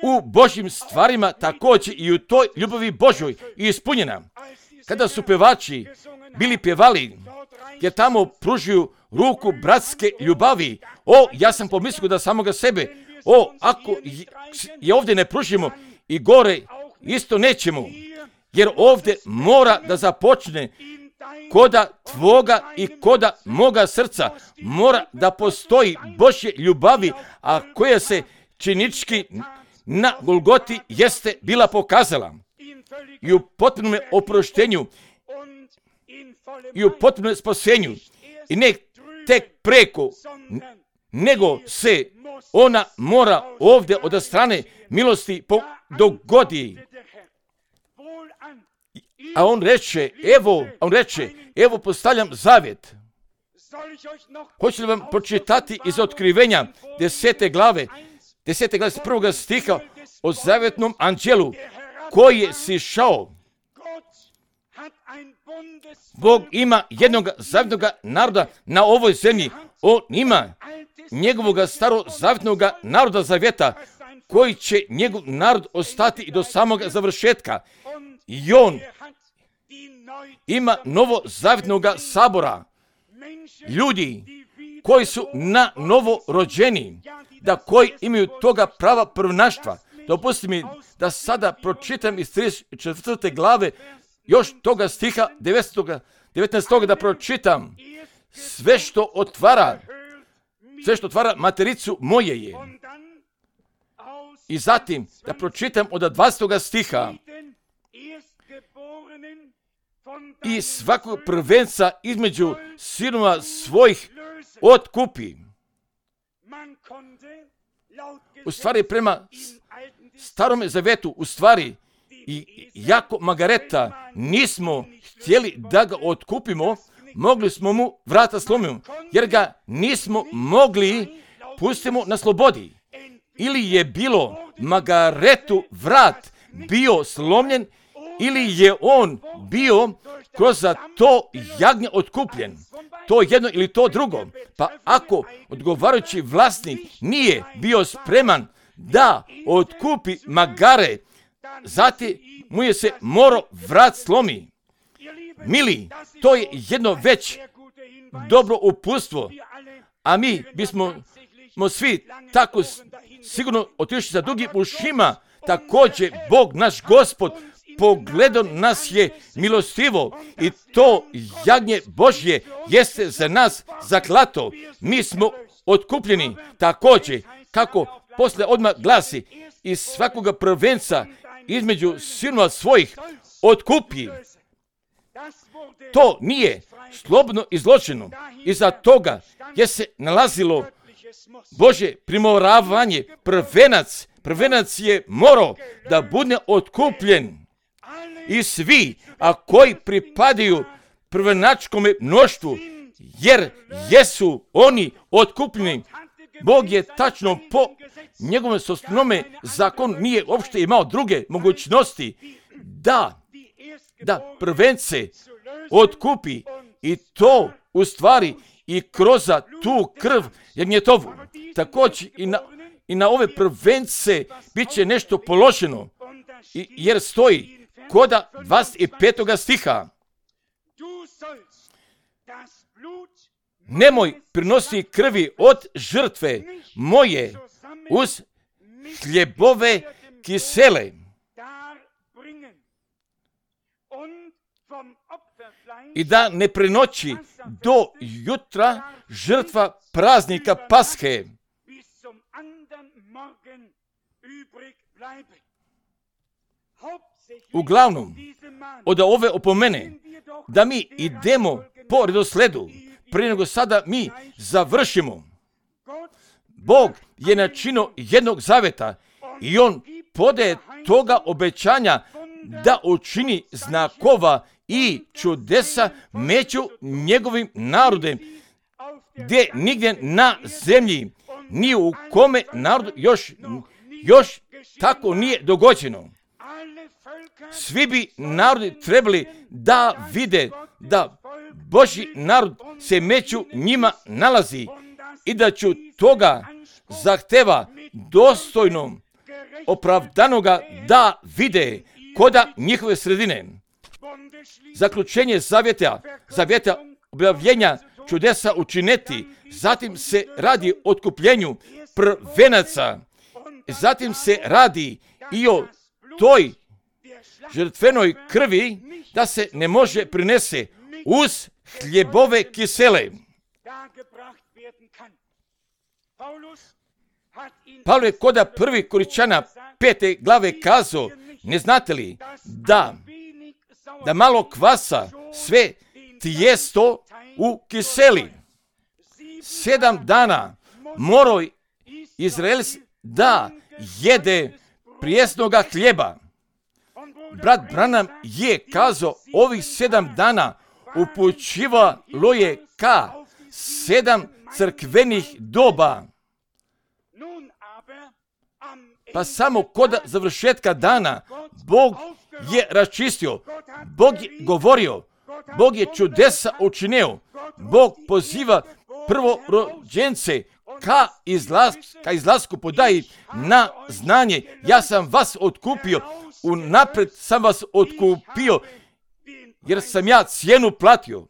u Božjim stvarima, također i u toj ljubavi Božoj i ispunjena. Kada su pevači bili pjevali, jer tamo pružuju ruku bratske ljubavi, o, ja sam pomislio da samoga sebe, o, ako je ovdje ne pružimo i gore isto nećemo, jer ovdje mora da započne koda tvoga i koda moga srca, mora da postoji Božje ljubavi, a koja se činički na Golgoti jeste bila pokazala. I u potpunom oproštenju i u potpunom spasenju. I ne tek preko, nego se ona mora ovdje od strane milosti dogodi. A on reče, evo, on reče, evo postavljam zavjet. Hoću li vam pročitati iz Otkrivenja desete glave, desete glave s prvoga stiha o zavjetnom anđelu koji je sišao. Bog ima jednog zavjetnog naroda na ovoj zemlji. On ima njegovog starozavjetnog naroda zavjeta koji će njegov narod ostati i do samog završetka. I on ima novo zavjetnog sabora. Ljudi koji su na novo rođeni, da koji imaju toga prava prvenaštva. Dopusti mi da sada pročitam iz trideset četvrte glave još toga stiha devetnaestog da pročitam. Sve što otvara, sve što otvara matericu moje je. I zatim da pročitam od dvadesetog stiha. I svakog prvenca između sinova svojih otkupi. U stvari prema starome zavetu, u stvari i jako Margareta nismo htjeli da ga otkupimo, mogli smo mu vrata slomiti, jer ga nismo mogli pustimo na slobodi. Ili je bilo Margaretu vrat bio slomljen, ili je on bio kroz to jagnje otkupljen. To jedno ili to drugo. Pa ako odgovarajući vlasnik nije bio spreman da otkupi Magare, zatim mu je se morao vrat slomi. Mili, to je jedno već dobro uputstvo, a mi bismo mo svi tako sigurno otišli sa dugim ušima. Također Bog naš Gospod pogledao nas je milostivo i to jagnje Božje jeste za nas zaklato. Mi smo otkupljeni također, kako posle odmah glasi, iz svakoga prvenca između sinova svojih otkupi. To nije slobodno izločeno. Iza toga je se nalazilo Božje primoravanje. Prvenac, prvenac je morao da bude otkupljen. I svi, a koji pripadaju prvenačkome mnoštvu, jer jesu oni otkupljeni. Bog je tačno po njegovom osnovnome zakonu nije uopšte imao druge mogućnosti da, da prvence otkupi i to u stvari i kroz tu krv jagnjetovu. Također i na, i na ove prvence bit će nešto položeno, i, jer stoji koda dvadeset petog stiha. Nemoj prinositi krvi od žrtve moje uz hljebove kisele. I da ne prenoći do jutra žrtva praznika Pashe. Uglavnom, od ove opomene da mi idemo po redosledu, prije nego sada mi završimo. Bog je načinio jednog zaveta i on podaje toga obećanja da učini znakova i čudesa među njegovim narodem, gdje nigdje na zemlji ni u kome narodu još, još tako nije dogođeno. Svi bi narodi trebali da vide da Božji narod se među njima nalazi i da ću toga zahteva dostojnom opravdanoga da vide koda njihove sredine. Zaključenje zavjeta, zavjeta objavljenja čudesa učineti, zatim se radi o otkupljenju prvenaca, zatim se radi i o toj žrtvenoj krvi da se ne može prinese uz hljebove kisele. Pavle je koda prvi Koričana pete glave kazao, ne znate li da, da malo kvasa sve tijesto u kiseli. sedam dana morao Izrael da jede prijesnoga hljeba. Brat Branham je kazao, ovih sedam dana upućivalo je ka sedam crkvenih doba. Pa samo kod završetka dana Bog je raščistio, Bog je govorio, Bog je čudesa učinio, Bog poziva prvorođence ka, izlaz, ka izlasku podaji na znanje. Ja sam vas otkupio, unapred sam vas otkupio, jer sam ja cijenu platio.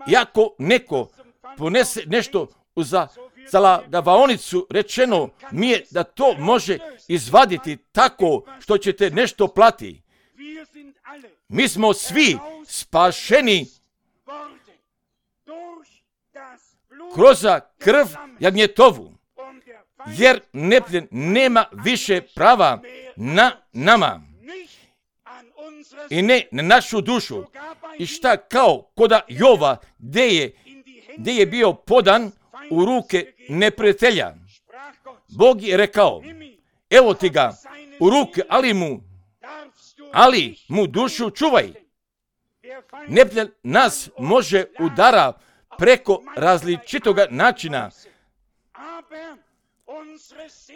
I ako neko ponese nešto za zalagaonicu, rečeno mi je da to može izvaditi tako što ćete nešto plati. Mi smo svi spašeni kroz krv jagnjetovu, jer nepljen nema više prava na nama i ne na našu dušu. I šta kao koda Jova, gdje je, gdje je bio podan u ruke neprijatelja. Bog je rekao, evo ti ga u ruke, ali mu, ali mu dušu čuvaj. Nepljen nas može udara preko različitoga načina.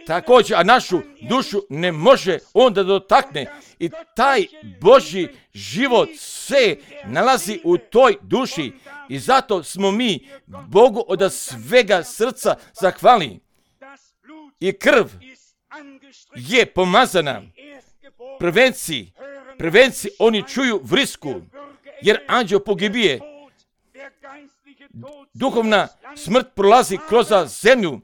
Također, a našu dušu ne može onda dotakne i taj Božji život se nalazi u toj duši i zato smo mi Bogu od svega srca zahvalni. I krv je pomazana. Prvenci, prvenci, oni čuju vrisku, jer anđeo pogibije. Duhovna smrt prolazi kroz zemlju.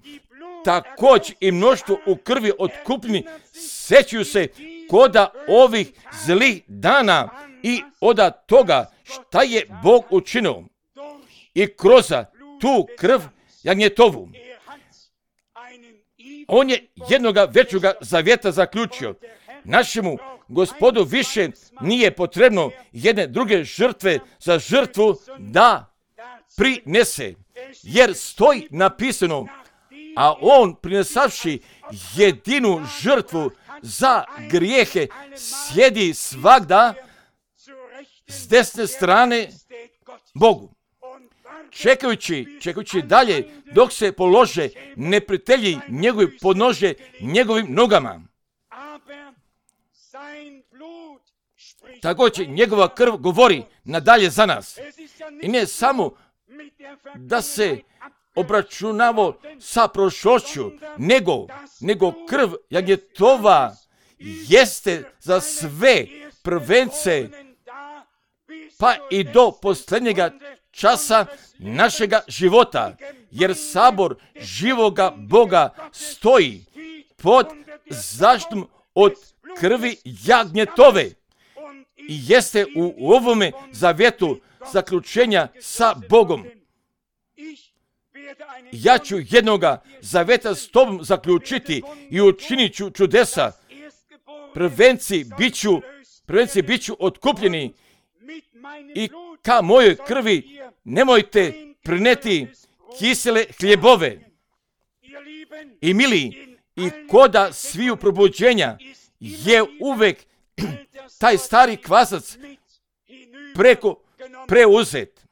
Također i mnoštvo u krvi otkupljeni sećaju se koda ovih zlih dana i oda toga šta je Bog učinio. I kroz tu krv jagnjetovu on je jednoga većoga zavjeta zaključio. Našemu Gospodu više nije potrebno jedne druge žrtve za žrtvu da prinese, jer stoji napisano, a on prinesavši jedinu žrtvu za grijehe sjedi svagda s desne strane Bogu. Čekajući, čekajući dalje dok se polože neprijatelji njegovi podnože njegovim nogama. Također njegova krv govori nadalje za nas. I ne samo da se obračunavo sa prošlošću, nego, nego krv jagnjetova jeste za sve prvence, pa i do posljednjega časa našega života, jer sabor živoga Boga stoji pod zaštitom od krvi jagnjetove i jeste u ovome zavjetu zaključenja sa Bogom. Ja ću jednoga zavjeta s tobom zaključiti i učinit ću čudesa. Prvenci biću, prvenci biću otkupljeni i ka mojoj krvi nemojte prineti kisele hljebove. I mili, i koda sviju probuđenja je uvek taj stari kvasac preko preuzet.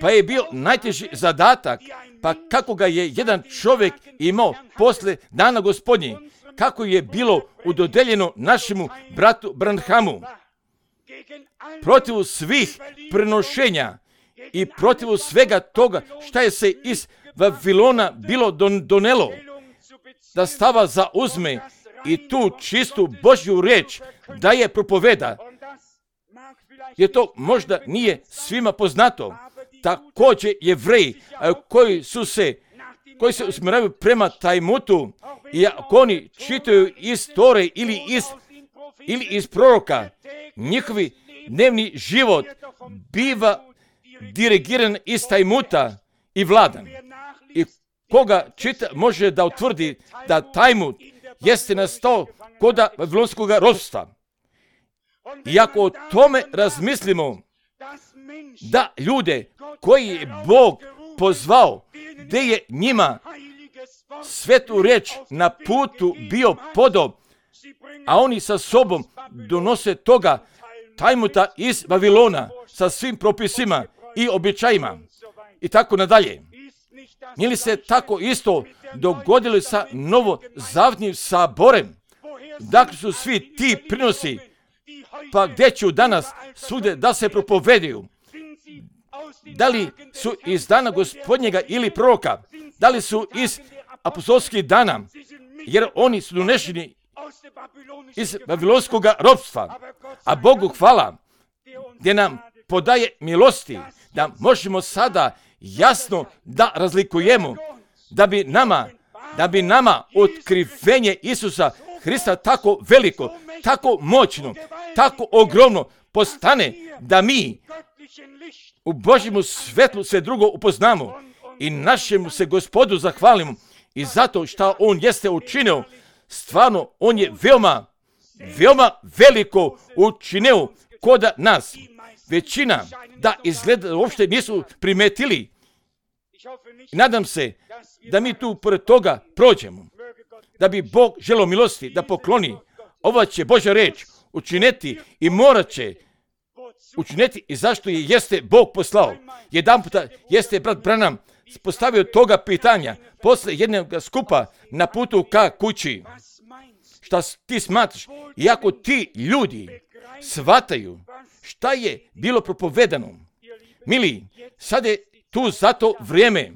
Pa je bio najteži zadatak, pa kako ga je jedan čovjek imao posle dana Gospodnji, kako je bilo udodeljeno našemu bratu Branhamu, protiv svih prenošenja i protiv svega toga šta je se iz Vavilona bilo don, donelo, da stava zauzme i tu čistu Božju riječ da je propoveda. Jer to možda nije svima poznato. Također Jevreji koji su se, koji se usmjeravaju prema Talmudu i ako oni čitaju iz Tore ili iz, ili iz proroka, njihovi dnevni život biva dirigiran iz Talmuda i vladan. I koga čita može da utvrdi da Talmud jeste nastao koda vavilonskog ropstva. I ako o tome razmislimo, da ljude koji je Bog pozvao, gdje je njima svetu riječ na putu bio podao, a oni sa sobom donose toga tajmuta iz Vavilona sa svim propisima i običajima i tako nadalje. Nije li se tako isto dogodilo sa novozavjetnim saborem? Dakle su svi ti prinosi, pa gdje ću danas svugdje da se propovedaju? Da li su iz dana Gospodnjega ili proroka? Da li su iz apostolskih dana? Jer oni su donešeni iz vavilonskog ropstva. A Bogu hvala gdje nam podaje milosti da možemo sada jasno da razlikujemo, da bi nama, da bi nama otkrivenje Isusa Hrista tako veliko, tako moćno, tako ogromno postane da mi u Božjemu svetlu sve drugo upoznamo i našemu se Gospodu zahvalimo i zato što On jeste učinio, stvarno On je veoma, veoma veliko učinio kod nas. Većina da izgleda uopšte nisu primetili. I nadam se da mi tu pored toga prođemo. Da bi Bog želio milosti da pokloni. Ova će Božja reč učiniti i morat će učiniti i zašto je jeste Bog poslao. Jedan puta jeste brat Branham postavio toga pitanja posle jednog skupa na putu ka kući. Šta ti smatraš? Iako ti ljudi shvataju šta je bilo propovedano. Mili, sada je tu zato vrijeme.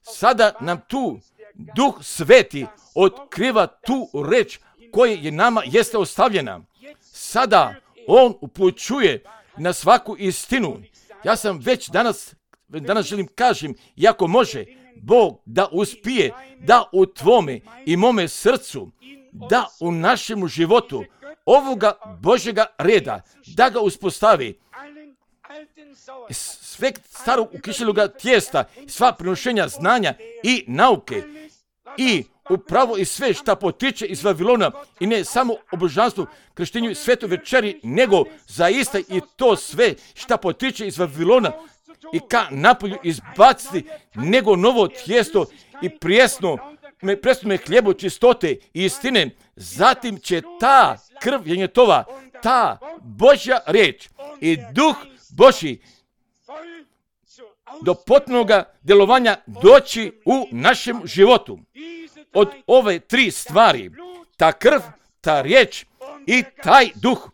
Sada nam tu Duh Sveti otkriva tu reč koja je nama jeste ostavljena. Sada On upućuje na svaku istinu. Ja sam već danas, danas želim kažem, iako može Bog da uspije da u tvome i mome srcu, da u našemu životu ovoga Božjega reda, da ga uspostavi. Sve starog ukišeloga tijesta, sva prenošenja znanja i nauke i upravo i sve šta potiče iz Vavilona i ne samo o božanstvu, krštenju i svetoj večeri, nego zaista i to sve šta potiče iz Vavilona i ka napolju izbaciti nego novo tijesto i prijesno, presno hljebo čistote i istine. Zatim će ta krv jenjetova, ta Božja riječ i Duh Božji do potpunoga djelovanja doći u našem životu. Od ove tri stvari, ta krv, ta riječ i taj duh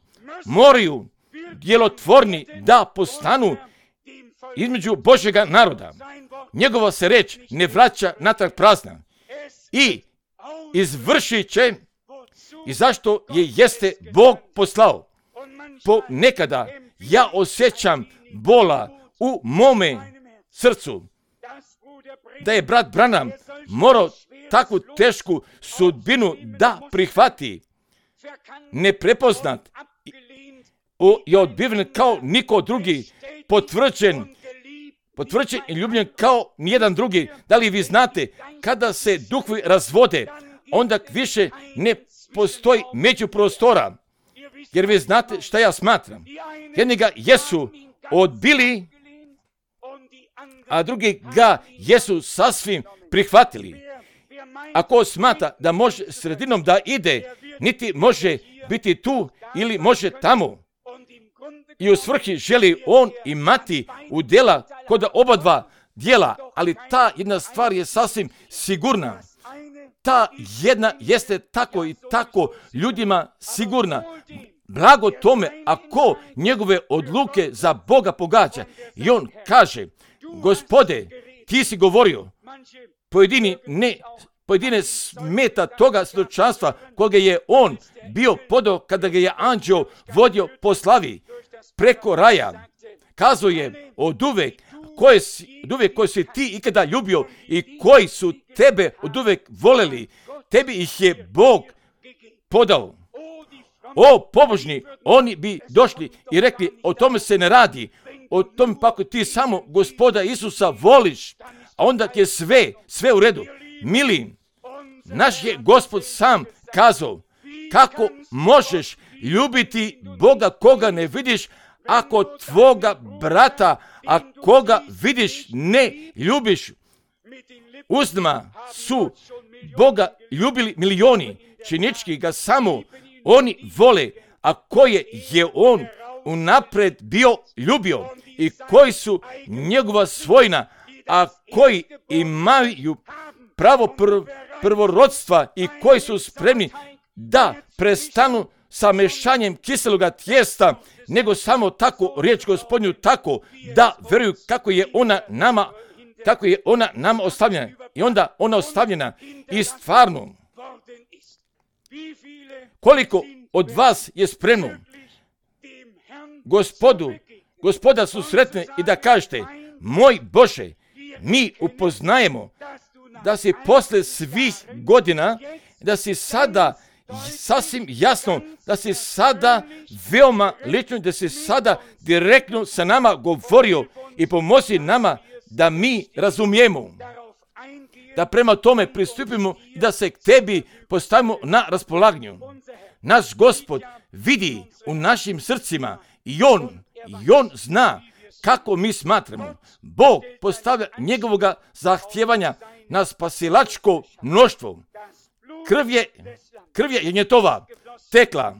moraju djelotvorni da postanu između Božjega naroda. Njegova se riječ ne vraća natrag prazna i izvršit će i zašto je jeste Bog poslao. Po nekada ja osjećam bola u mome srcu da je brat Branham morao takvu tešku sudbinu da prihvati, neprepoznat i odbiven kao niko drugi, potvrđen, potvrđen i ljubljen kao nijedan drugi. Da li vi znate, kada se duhovi razvode, onda više ne postoji međuprostora, jer vi znate šta ja smatram. Jedni ga jesu odbili, a drugi ga jesu sasvim prihvatili. Ako smatra da može sredinom da ide, niti može biti tu ili može tamo. I u svrhi želi on imati udjela kod oba dva dijela, ali ta jedna stvar je sasvim sigurna. Ta jedna jeste tako i tako ljudima sigurna. Blago tome ako njegove odluke za Boga pogađa. I on kaže, Gospode, ti si govorio, pojedini ne, pojedine smeta toga svjedočanstva koga je on bio podao kada ga je anđeo vodio po slavi preko raja. Kazao je od uvek koje si, od uvek koje si ti ikada ljubio i koji su tebe od uvek voleli, tebi ih je Bog podao. O, pobožni, oni bi došli i rekli, o tome se ne radi, o tome pa ako ti samo Gospoda Isusa voliš, a onda je sve, sve u redu. Mili, naš je Gospod sam kazao, kako možeš ljubiti Boga koga ne vidiš, ako tvoga brata, a koga vidiš, ne ljubiš, usnama su Boga ljubili milioni, činički ga samo oni vole, a koje je on unapred bio ljubio i koji su njegova svojina, a koji imaju pravo prv, prvorodstva i koji su spremni da prestanu sa mešanjem kiseloga tijesta, nego samo tako riječ Gospodnju, tako da veruju kako je ona nama, kako je ona nama ostavljena. I onda ona ostavljena i stvarno. Koliko od vas je spremno Gospodu, Gospoda susretne i da kažete, moj Bože, mi upoznajemo da si posle svih godina, da si sada sasvim jasno, da si sada veoma lično, da si sada direktno sa nama govorio i pomozi nama da mi razumijemo, da prema tome pristupimo i da se k tebi postavimo na raspolaganju. Naš Gospod vidi u našim srcima i on, i on zna kako mi smatramo. Bog postavlja njegovoga zahtjevanja na spasilačko mnoštvo. Krv je, krv je njetova tekla.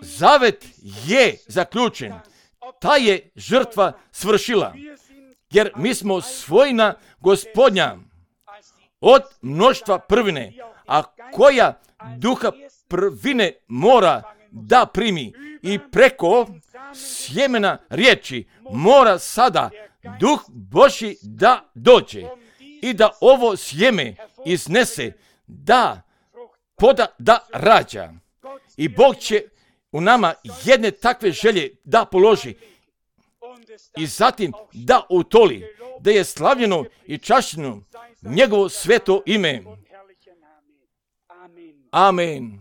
Zavet je zaključen. Ta je žrtva svršila. Jer mi smo svojina Gospodnja od mnoštva prvine, a koja duha prvine mora da primi i preko sjemena riječi mora sada Duh Božji da dođe i da ovo sjeme iznese, da poda, da rađa. I Bog će u nama jedne takve želje da položi i zatim da utoli, da je slavljeno i čašćeno njegovo sveto ime. Amen.